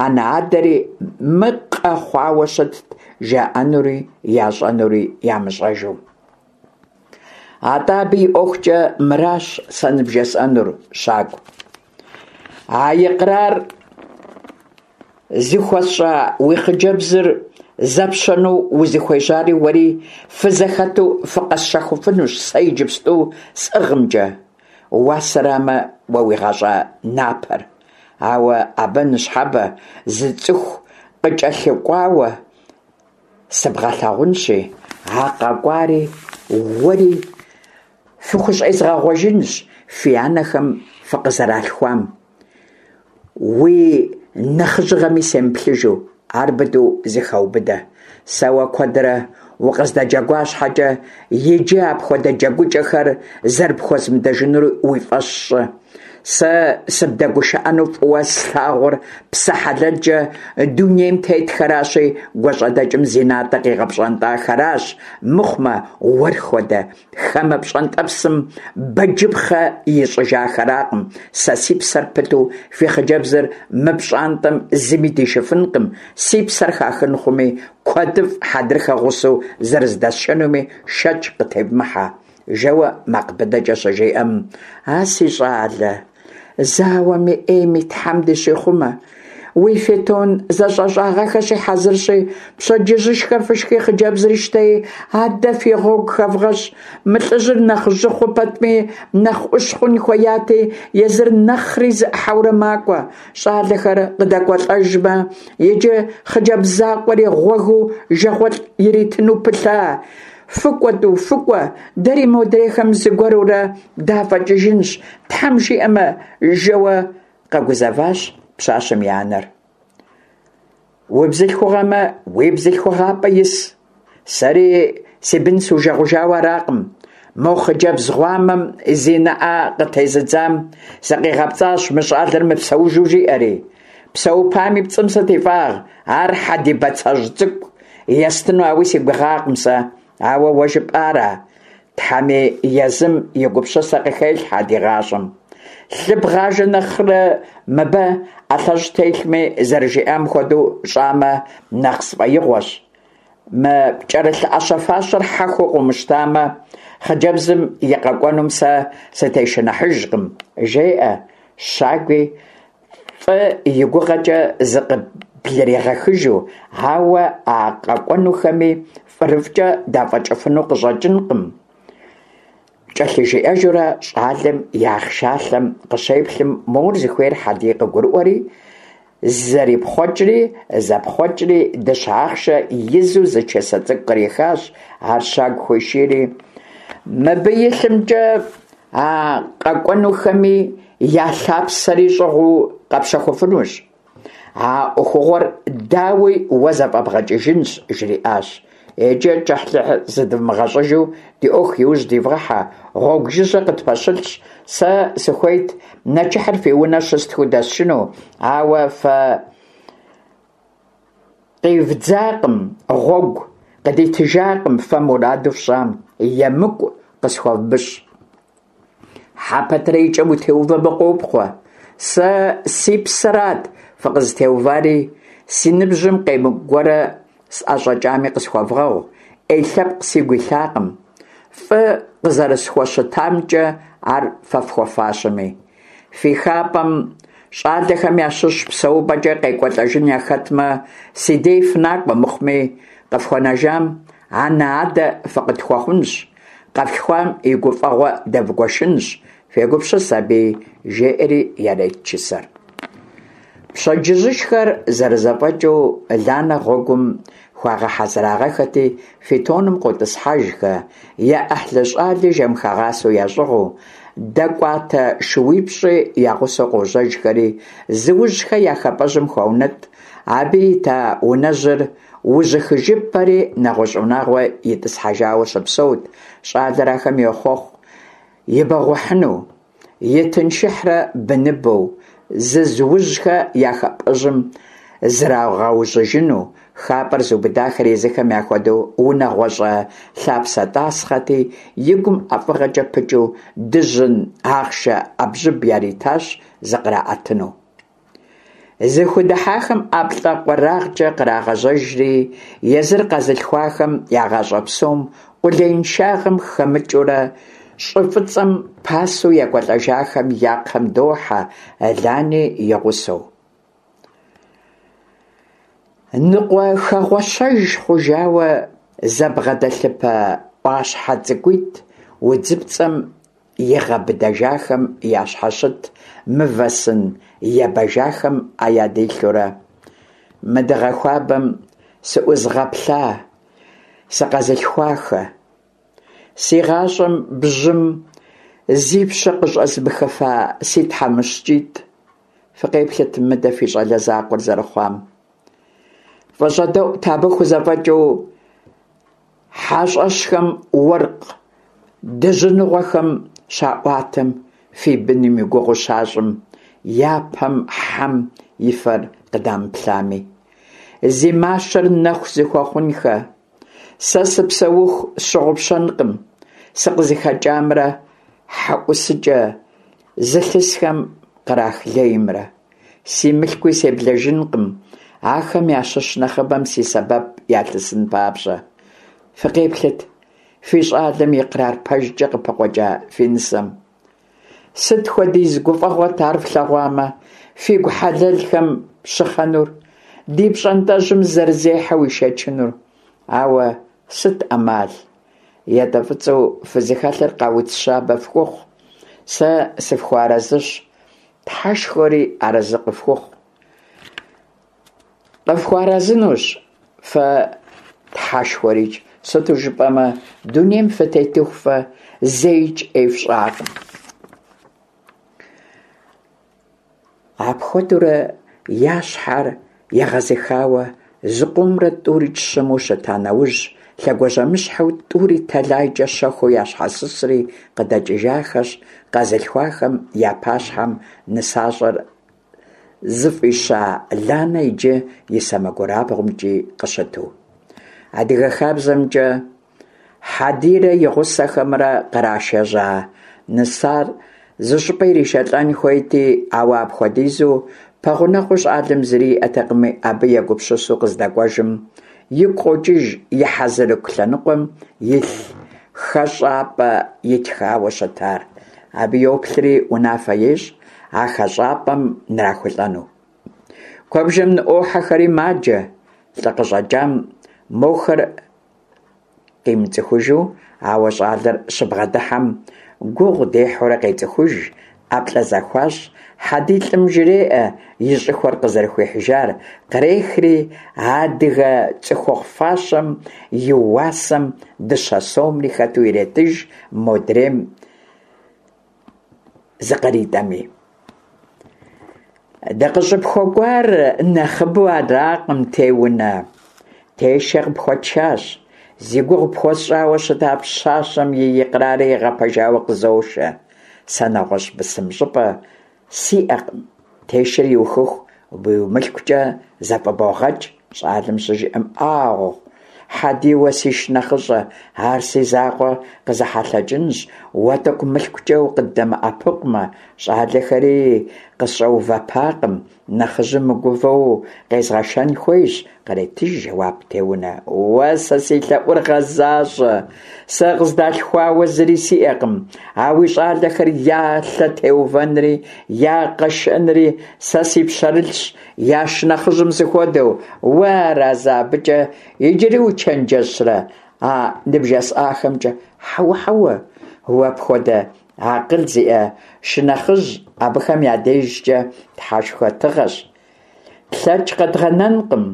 анэ-адэри мыкъэ хъуауэ щытт, жаӏэнури ящӏэнури ямыщӏэжу. Атӏэ абы и ӏуэхукӏэ мыращ сэ ныбжесӏэнур, Щакӏу. А икърар зыхуэсщӏа уи хъыджэбзыр зэпщэну узыхуежьари уэри фызэхэту фыкъэсщэхуфынущ сэ иджыпсту сӏыгъымкӏэ. Уасэрамэ, уэ уи гъащӏэ напэр. Ауэ абы ныщхьэбэ зы цӏыху къыкӏэлъыкӏуауэ сыбгъэлъагъунщи, а къэкӏуари уэри фыхущӏезгъэгъуэжынщ фи анэхэм фыкъызэралъхуам. Уи нэхъыжьыгъэми семыплъыжу, ар быдэу зыхэубыдэ. Сэ уэ куэдрэ укъыздэджэгуа щхьэкӏэ, иджы апхуэдэ джэгукӏэхэр зэрыпхуэзмыдэжынур уи фӏэщ щӏы. Сэ сыбдэгушыӏэну фӏыуэ слъагъур псэ хьэлэлкӏэ дунейм тетхэращи, гуащӏэдэкӏым зи натӏэ къигъэпщӏэнтӏахэращ, мыхъумэ, уэр хуэдэ хамэ пщӏэнтӏэпсым бэджыпхъэ ищӏыжахэракъым. Сэ си псэр пыту фи хъыджэбзыр мы пщӏантӏэм зыми дишыфынкъым, си псэр хахын хъуми, куэдыфӏ хьэдрыхэ гъусэу зэрыздэсшэнуми шэч къытевмыхьэ. Жэуэ макъ быдэкӏэ щыжиӏэм, А си щӏалэ, зауэми ӏейми Тхьэм дыщихъумэ. Уи фитон зэщӏэщӏагъэхэщи хьэзырщи, пщэдджыжьышхэ фышхи хъыджэбзри щтэи, адэ фи гъуэгу хэвгъэщӏ. Мы лӏыжьыр нэхъ жьы хъу пэтми, нэхъ ӏущ хъун хуеяти, езыр нэхъри зэӏыхьэурэ макӏуэ. Щӏалэхэр къыдэкӏуэлӏэжмэ, иджы хъыджэбз закъуэри гъуэгыу жагъуэлӏ иритыну пылъа? Фыкӏуэ, тӏу, фыкӏуэ, дэри модрейхэм зыгуэрурэ дафӏэкӏыжынщ, Тхьэм жиӏэмэ, жэуэ къэгузэващ пщащэм и анэр. Убзылъхугъэмэ, уи бзылъхугъапӏэ ис. Сэри си бын сужэгъужауэ аракъым. Мо хъыджэбз гъуамэм зи нэӏэ къытезыдзам сыкъигъэпцӏащ мы щӏалэр мыпсэужу жиӏэри. Псэупами пцӏым сыт и фӏагъ, ар Хьэдий бацэжь цӏыкӏу естыну ауи си гугъакъым сэ, ауэ уэ жыпӏара? Тхьэми езым и гупсысэ къыхелъхьэ ди гъащӏэм. Лъы бгъажэ нэхърэ мыбы ӏэлъэщӏ телъми, зэрыжиӏам хуэдэу щӏамэ, нэхъ сфӏэигъуэщ. Мы пкӏэрылъ ӏэщэ-фащэр хьэхуу къыумыщтамэ, хъыджэбзым и къэкӏуэнум сэ сытешыныхьыжкъым, жеӏэ Щагуи, Фӏы и гугъэкӏэ зыкъыблыригъэхыжу, ауэ а къэкӏуэнухэми фӏырыфӏкӏэ дафӏэкӏыфыну къыщӏэкӏынкъым, кӏэлъыжиӏэжурэ щӏалэм и ахъшалъэм къыщеплъым, мор зыхуейр Хьэдий къыгурыӏуэри, зэрипхъуэкӏри, зэпхъуэкӏри дыщэ ахъшэ изу зы чысэ цӏыкӏу кърихащ, ар Щагу хуишийри, мыбы илъымкӏэ А къэкӏуэнухэми я лъапсэри щӏыгъуу къэпщэхуфынущ. А ӏуэхугъуэр, дауи, уэ зэфӏэбгъэкӏыжынщ, жриӏащ. Иджы кӏыхьлӏыхь зыдвмыгъэщӏыжу ди ӏуэху иужь дивгъыхьэ, гъуэгу жыжьэ къытпэщылъщ. Сэ сыхуейт нэчыхьыр фи унэ щыстхыу дэсшыну, ауэ фэ къивдзакъым, гъуэгу къыдитыжакъым фэ мураду фщӏам, емыкӏу къысхуэвмыщӏ. Хьэ пэтрэ и кӏэм утеувэмэ, къопхъуэ. Сэ си псэрат фыкъызытеувари, си ныбжьым къемыкӏу гуэрэ сӏэщӏэкӏами къысхуэвгъэгъу, ӏей лъэпкъ сигу илъакъым. Фӏы къызэрысхуэщытамкӏэ ар фэ фхуэфащэми. Фи хапӏэм щӏалэхэм ящыщ псэупӏэкӏэ къекӏуэлӏэжын яхэтмэ, си дей фынакӏуэ мыхъуми, къыфхуэнэжам анэ-адэ фыкъытхуэхъунщ. Къэфлъхуам и гуфӏэгъуэ дэвгуэшынщ, фегупсыс абыи, жеӏэри ярет чысэр. Пщэдджыжьышхэр зэрызэфӏэкӏыу Ланэ гъуэгум хуагъэхьэзырагъэхэти, фитоным къотӏысхьэжхэ, я ӏыхьлы щӏали жэмхэгъасэу ящӏыгъуу, дэкӏуатэ шууипщӏи я гъусэу къожьэжхэри, Зыужьхэ я хапӏэжьым хуаунэтӏ, абы ита унэжьыр Ужьыхыжыпэри нэгъуэщӏ унагъуэ итӏысхьэжауэ щыпсэут, щӏалэр ахэм йохъуэхъу ибэгъухьыну, итыншыхьрэ быныбэу, Зызыужьхэ я хапӏэжьым зрагъэужьыжыну, хапӏэр зыубыдахэр езыхэм яхуэдэу унагъуэщӏэ лъапсэ тӏасхъэти, и гум ӏэфӏыгъэкӏэ пыкӏыу дыжьын ахъшэ ӏэбжьыб яритащ зыкъраӏэтыну. Зыхудыхьахэм ӏэплӏэ къуэрагъкӏэ кърагъэжьэжри, езыр къэзылъхуахэм я гъащӏэ псом къулеиншагъэм хэмыкӏыурэ щӏы фӏыцӏэм пасэу екӏуэлӏэжахэм я кхъэм дохьэ, Лани и гъусэу. Ныкъуэхэгъуэщэж хъужауэ зэбгъэдэлъыпэ ӏуащхьэ цӏыкӏуитӏ удзыпцӏэм игъэбыдэжахэм ящхьэщыт мывэ сын ебэжахэм ӏэ ядилъэурэ, Мы дыгъэ хуабэм сыӏузыгъэплъа, сыкъэзылъхуахэ. Си гъащӏэм бжьым зи пщэ къыщӏэзмыхыфа си тхьэмыщкӏитӏ, фыкъеплъыт мыдэ фи щӏалэ закъуэр зэрыхъуам. Фӏыщӏэдэӏут абы хузэфӏэкӏыу Хьэщӏэщхэм уэркъ дыжьыныгъуэхэм щаӏуатэм, фи быным и гугъу щащӏым, япэм хьэм и фэр къыдамыплъами. Зи мащэр нэху зыхуэхъунхэ, сэ сыпсэуху сщыгъупщэнкъым сыкъызыхэкӏамрэ хьэӏусыкӏэ зылъысхэм кърах леймрэ. Си мылъкуи себлэжынкъым, ахэм ящыщ нэхъыбэм си сэбэп ялъысын папщӏэ. Фыкъеплъыт, фи щӏалэм икърар пэжкӏэ къыпыкъуэкӏа фи нысэм. Сыт хуэдиз гуфӏэгъуэт ар флъэгъуамэ, фигу хьэлэлхэм щыхъэнур, ди пщӏантӏэжьым зэрызехьэу ишэчынур. Ауэ сыт ӏэмал? Ятӏэ фӏыцӏэу фызыхэлъыр къауц щабэ фхухъу. Сэ сыфхуэарэзыщ. Тхьэшхуэри арэзы къыфхухъу. Къыфхуэарэзынущ фэ Тхьэшхуэрикӏ, сыту жыпӏэмэ, дунейм фытетыху фэ зэикӏ ӏей фщӏакъым. Апхуэдэурэ я щхьэр егъэзыхауэ зыкъомрэ тӏурикӏ щыму щыта нэужь, лъэгуажьэмыщхьэу тӏури тэлайкӏэ щэхуу ящхьэсысри къыдэкӏыжахэщ, къэзылъхуахэм я пащхьэм нысащӏэр зыфӏища Ланэ иджы и сэмэгурабгъумкӏи къыщыту. Адыгэ хабзэмкӏэ Хьэдирэ и гъусэхэмрэ кърашэжьа нысар зыщӏыпӏэ иришэлӏэн хуейти, ауэ апхуэдизу пэгъунэгъуу щӏалэм зыри иӏэтэкъыми, абы егупсысу къыздэкӏуэжым, игу къокӏыж и хьэзырыку лъэныкъуэм илъ хэщӏапӏэ итхауэ щытар. Абы йоплъри унафэ ещӏ а хэщӏапӏэм нрахулӏэну. Куэбжэм ныӏуохьэхэри маджэ, лӏы къыщӏэкӏам мохэр къимыцӏыхужу, ауэ щӏалэр щыбгъэдыхьэм гугъу дехьурэ къецӏыхуж, ӏэплӏэ зэхуащӏ, Хьэдий лӏым жреӏэ и щӏыхуэр къызэрыхуихьыжар, кърехри адыгэ цӏыхухъу фащэм и уасэм дыщэ сомри хэту иретыж, модрейм зыкъритӏэми. Дыкъыщӏыпхуэкӏуар нэхъыбэу аракъым, Теунэ. Тешэ къыпхуэтшащ. Зи гугъу пхуэсщӏауэ щыта пщащэм и икърари игъэпэжауэ къызошэ. Сэ нэгъуэщӏ бысым щӏыпӏэ сиӏэкъым. Тешэр иухыху уи мылъкукӏэ зэфӏыбогъэкӏ, щӏалэм щыжиӏэм, ӏагъу, Хьэдий, уэ си шынэхъыщӏэ, ар си закъуэ къызэхьэлъэкӏынщ, уэ тӏэкӏу мылъкукӏэ укъыддэмыӏэпыкъумэ, щӏалэхэри къысщӏэувэпакъым, нэхъыжьым мыгувэу къезгъэшэн хуейщ, къретыж жэуап Теунэ. Уэ сэ си лъэӏур гъэзащӏэ, сэ къыздалъхуауэ зыри сиӏэкъым, а уи щӏалэхэр я лъэ теувэнри, я къэшэнри сэ си пщэрылъщ, я шынэхъыжьым сыхуэдэу. Уэ аразы абыкӏэ иджыри учэнджэщрэ а ныбжесӏахэмкӏэ? Хьэуэ, хьэуэ, уэ пхуэдэ акъыл зиӏэ шынэхъыжь абыхэм я дежкӏэ тхьэшхуэ тыгъэщ. Тлъэкӏ къэдгъэнэнкъым,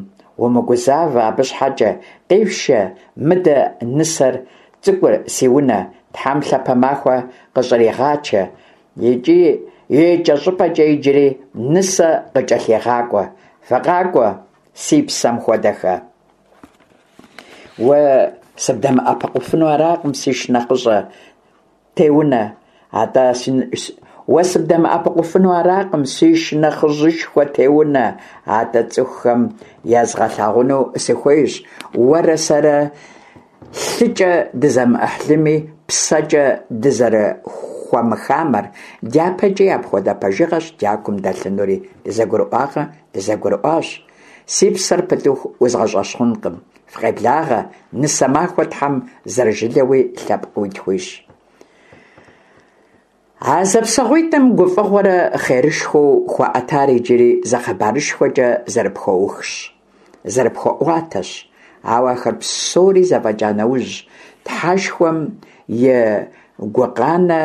умыгузавэ абы щхьэкӏэ, къифшэ мыдэ нысэр цӏыкӏур си унэ, Тхьэм лъапэ махуэ къыщӏригъачэ, икӏи икӏэщӏыпӏэкӏэ иджыри нысэ къыкӏэлъигъакӏуэ. Фыкъакӏуэ, си псэм хуэдэхэ. Уэ сыбдэмыӏэпыкъуфыну аракъым, си шынэхъыщӏэ Теунэ, атӏэ уэ сыбдэмыӏэпыкъуфыну аракъым, си шынэхъыжьышхуэ Теунэ, атӏэ цӏыхухэм езгъэлъагъуну сыхуейщ, уэрэ сэрэ лъыкӏэ дызэмыӏыхьлыми, псэкӏэ дызэрыхуэмыхамэр, дяпэкӏи апхуэдэ пэжыгъэщ дякум дэлъынури, дызэгурыӏуакъэ, дызэгурыӏуащ. Си псэр пытыху узгъэщӏэщхъункъым. Фыкъеблагъэ, нысэ махуэ Тхьэм зэрыжылэуи лъэпкъыуи тхуищӏ. А зэпсэгъуитӏым гуфӏэгъуэрэ хъерышхуэу хуаӏэтар иджыри зы хъыбарышхуэкӏэ зэрыпхуэухщ, зэрыпхуэӏуатэщ. Ауэ ахэр псори зэфӏэкӏа нэужь, Тхьэшхуэм и гукъанэ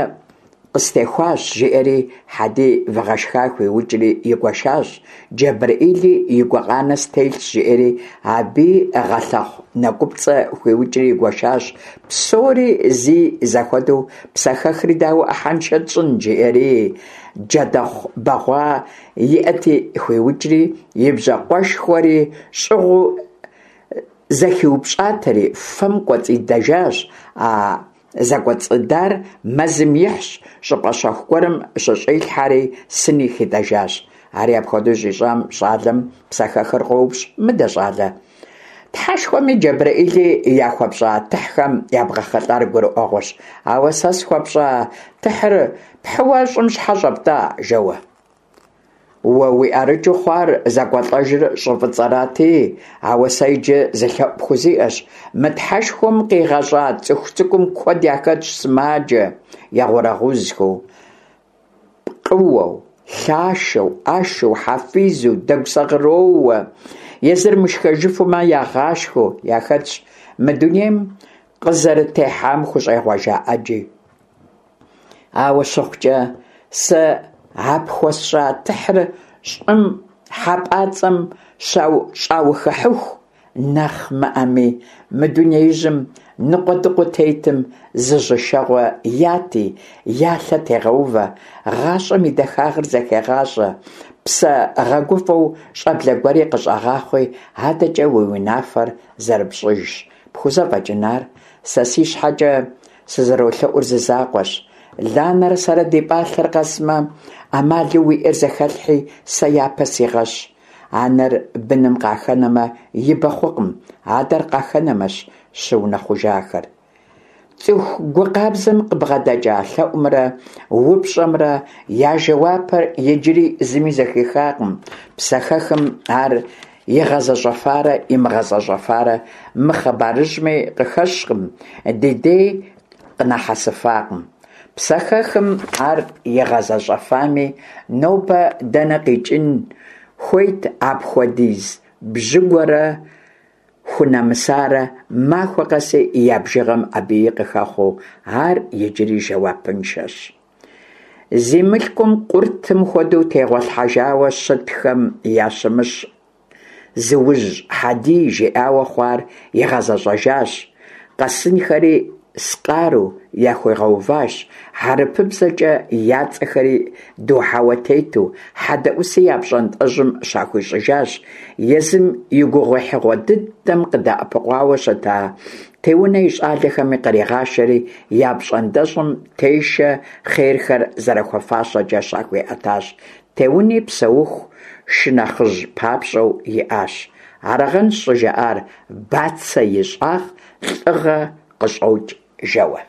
Къыстехуащ, жиӏэри, Хьэдий выгъэшха хуиукӏри игуэшащ, Джэбрэӏили и гукъанэ стелъщ, жиӏэри, абыи гъэлъэхъу нэкӏупцӏэ хуиукӏри игуэшащ, псори зи зэхуэдэу псэхэхри дауэ ӏыхьэншэ тщӏын, жиӏэри, джэдэхъу бэгъуа иӏэти хуиукӏри, и бжьакъуэшхуэри щӏыгъуу зэхиупщӏатэри, фэм кӏуэцӏидэжащ а Зэкӏуэцӏыдар мэзым ихьщ, щӏыпӏэ щэху гуэрым щыщӏилъхьэри, сыни хитӏэжащ. Ари апхуэдэу щӏищӏам щӏалэм псэхэхыр къоупщӏ, Мыдэ, щӏалэ, Тхьэшхуэми Джэбрэӏили яхуэпщӏа тыхьхэм ябгъэхъэлӏар гурыӏуэгъуэщ, ауэ сэ схуэпщӏа тыхьыр пхьыуэ щӏым щхьэ щӏэптӏа? жэуэ. Уэ уи ӏэрыкӏыу хъуар зэкӏуэлӏэжыр щӏы фӏыцӏэрати, ауэ сэ иджы зы лъэӏу пхузиӏэщ, мы Тхьэшхуэм къигъэщӏа цӏыху цӏыкӏум куэд яхэтщ сымаджэ, егъурэгъузхэу, пкъыуэу, лъашэу, ӏэшэу, хьэфизу, дэгу-сэгъыроууэ, езыр мышхэжыфумэ ягъашхэу яхэтщ мы дунейм къызэрытехьам хущӏегъуэжа ӏэджи. Ауэ щыхъукӏэ, сэ а пхуэсщӏа тыхьыр щӏым хьэпӏацӏэм щӏаухыхьыху нэхъ мыӏэми, мы дунеижьым ныкъуэдыкъуэу тетым зы жьышэгъуэ яти, я лъэ тегъэувэ, гъащӏэм и дахагъыр зэхегъащӏэ, псэ гъэгуфӏэу щӏэблэ гуэри къыщӏэгъахъуи, адэкӏэ уи унафэр зэрыпщӏыжщ. Пхузэфӏэкӏын ар? Сэ си щхьэкӏэ Сызэролъэӏур зы закъуэщ. Ланэрэ сэрэ ди пӏалъэр къэсмэ, ӏэмалу уиӏэр зэхэлъхьи, сэ япэ сигъэщ. Анэр быным къахэнэмэ, ибэ хъукъым, адэр къахэнэмэщ щыунэхъужахэр. Цӏыху гу къабзэм къыбгъэдэкӏа лъэӏумрэ упщӏэмрэ я жэуапыр иджыри зыми зэхихакъым, псэхэхым ар Игъэзэщӏэфарэ имыгъэзэщӏэфарэ мы хъыбарыжьми къыхэщкъым, ди дей къынахьэсыфакъым. Псэхэхым ар игъэзэщӏэфами, нобэ дэнэ къикӏын хуейт апхуэдиз бжьыгуэрэ хунэмысарэ махуэ къэси я бжыгъэм абыи къыхэхъуэу, ар иджыри жэуапыншэщ. Зи мылъкум къуртым хуэдэу тегъуэлъхьэжауэ щытхэм ящымыщ зыужь Хьэдий жиӏауэ хъуар игъэзэщӏэжащ, къэсынхэри скъару яхуигъэуващ, хьэрыпыбзэкӏэ я цӏэхэри духьэуэ тету, хьэдэӏуси я пщӏантӏэжьым щахуищӏыжащ, езым и гугъуехьыгъуэ дыдэм къыдэӏэпыкъуауэ щыта Теунэ и щӏалэхэми къригъашэри, я пщӏантӏэщӏым тешэ хъерхэр зэрыхуэфащэкӏэ щахуиӏэтащ. Теуни псэуху шынэхъыжь папщӏэу иӏащ. Арагъэнщ щӏыжаӏар «Бацэ и щӏагъ лӏыгъэ къыщӏокӏ» жэуэ.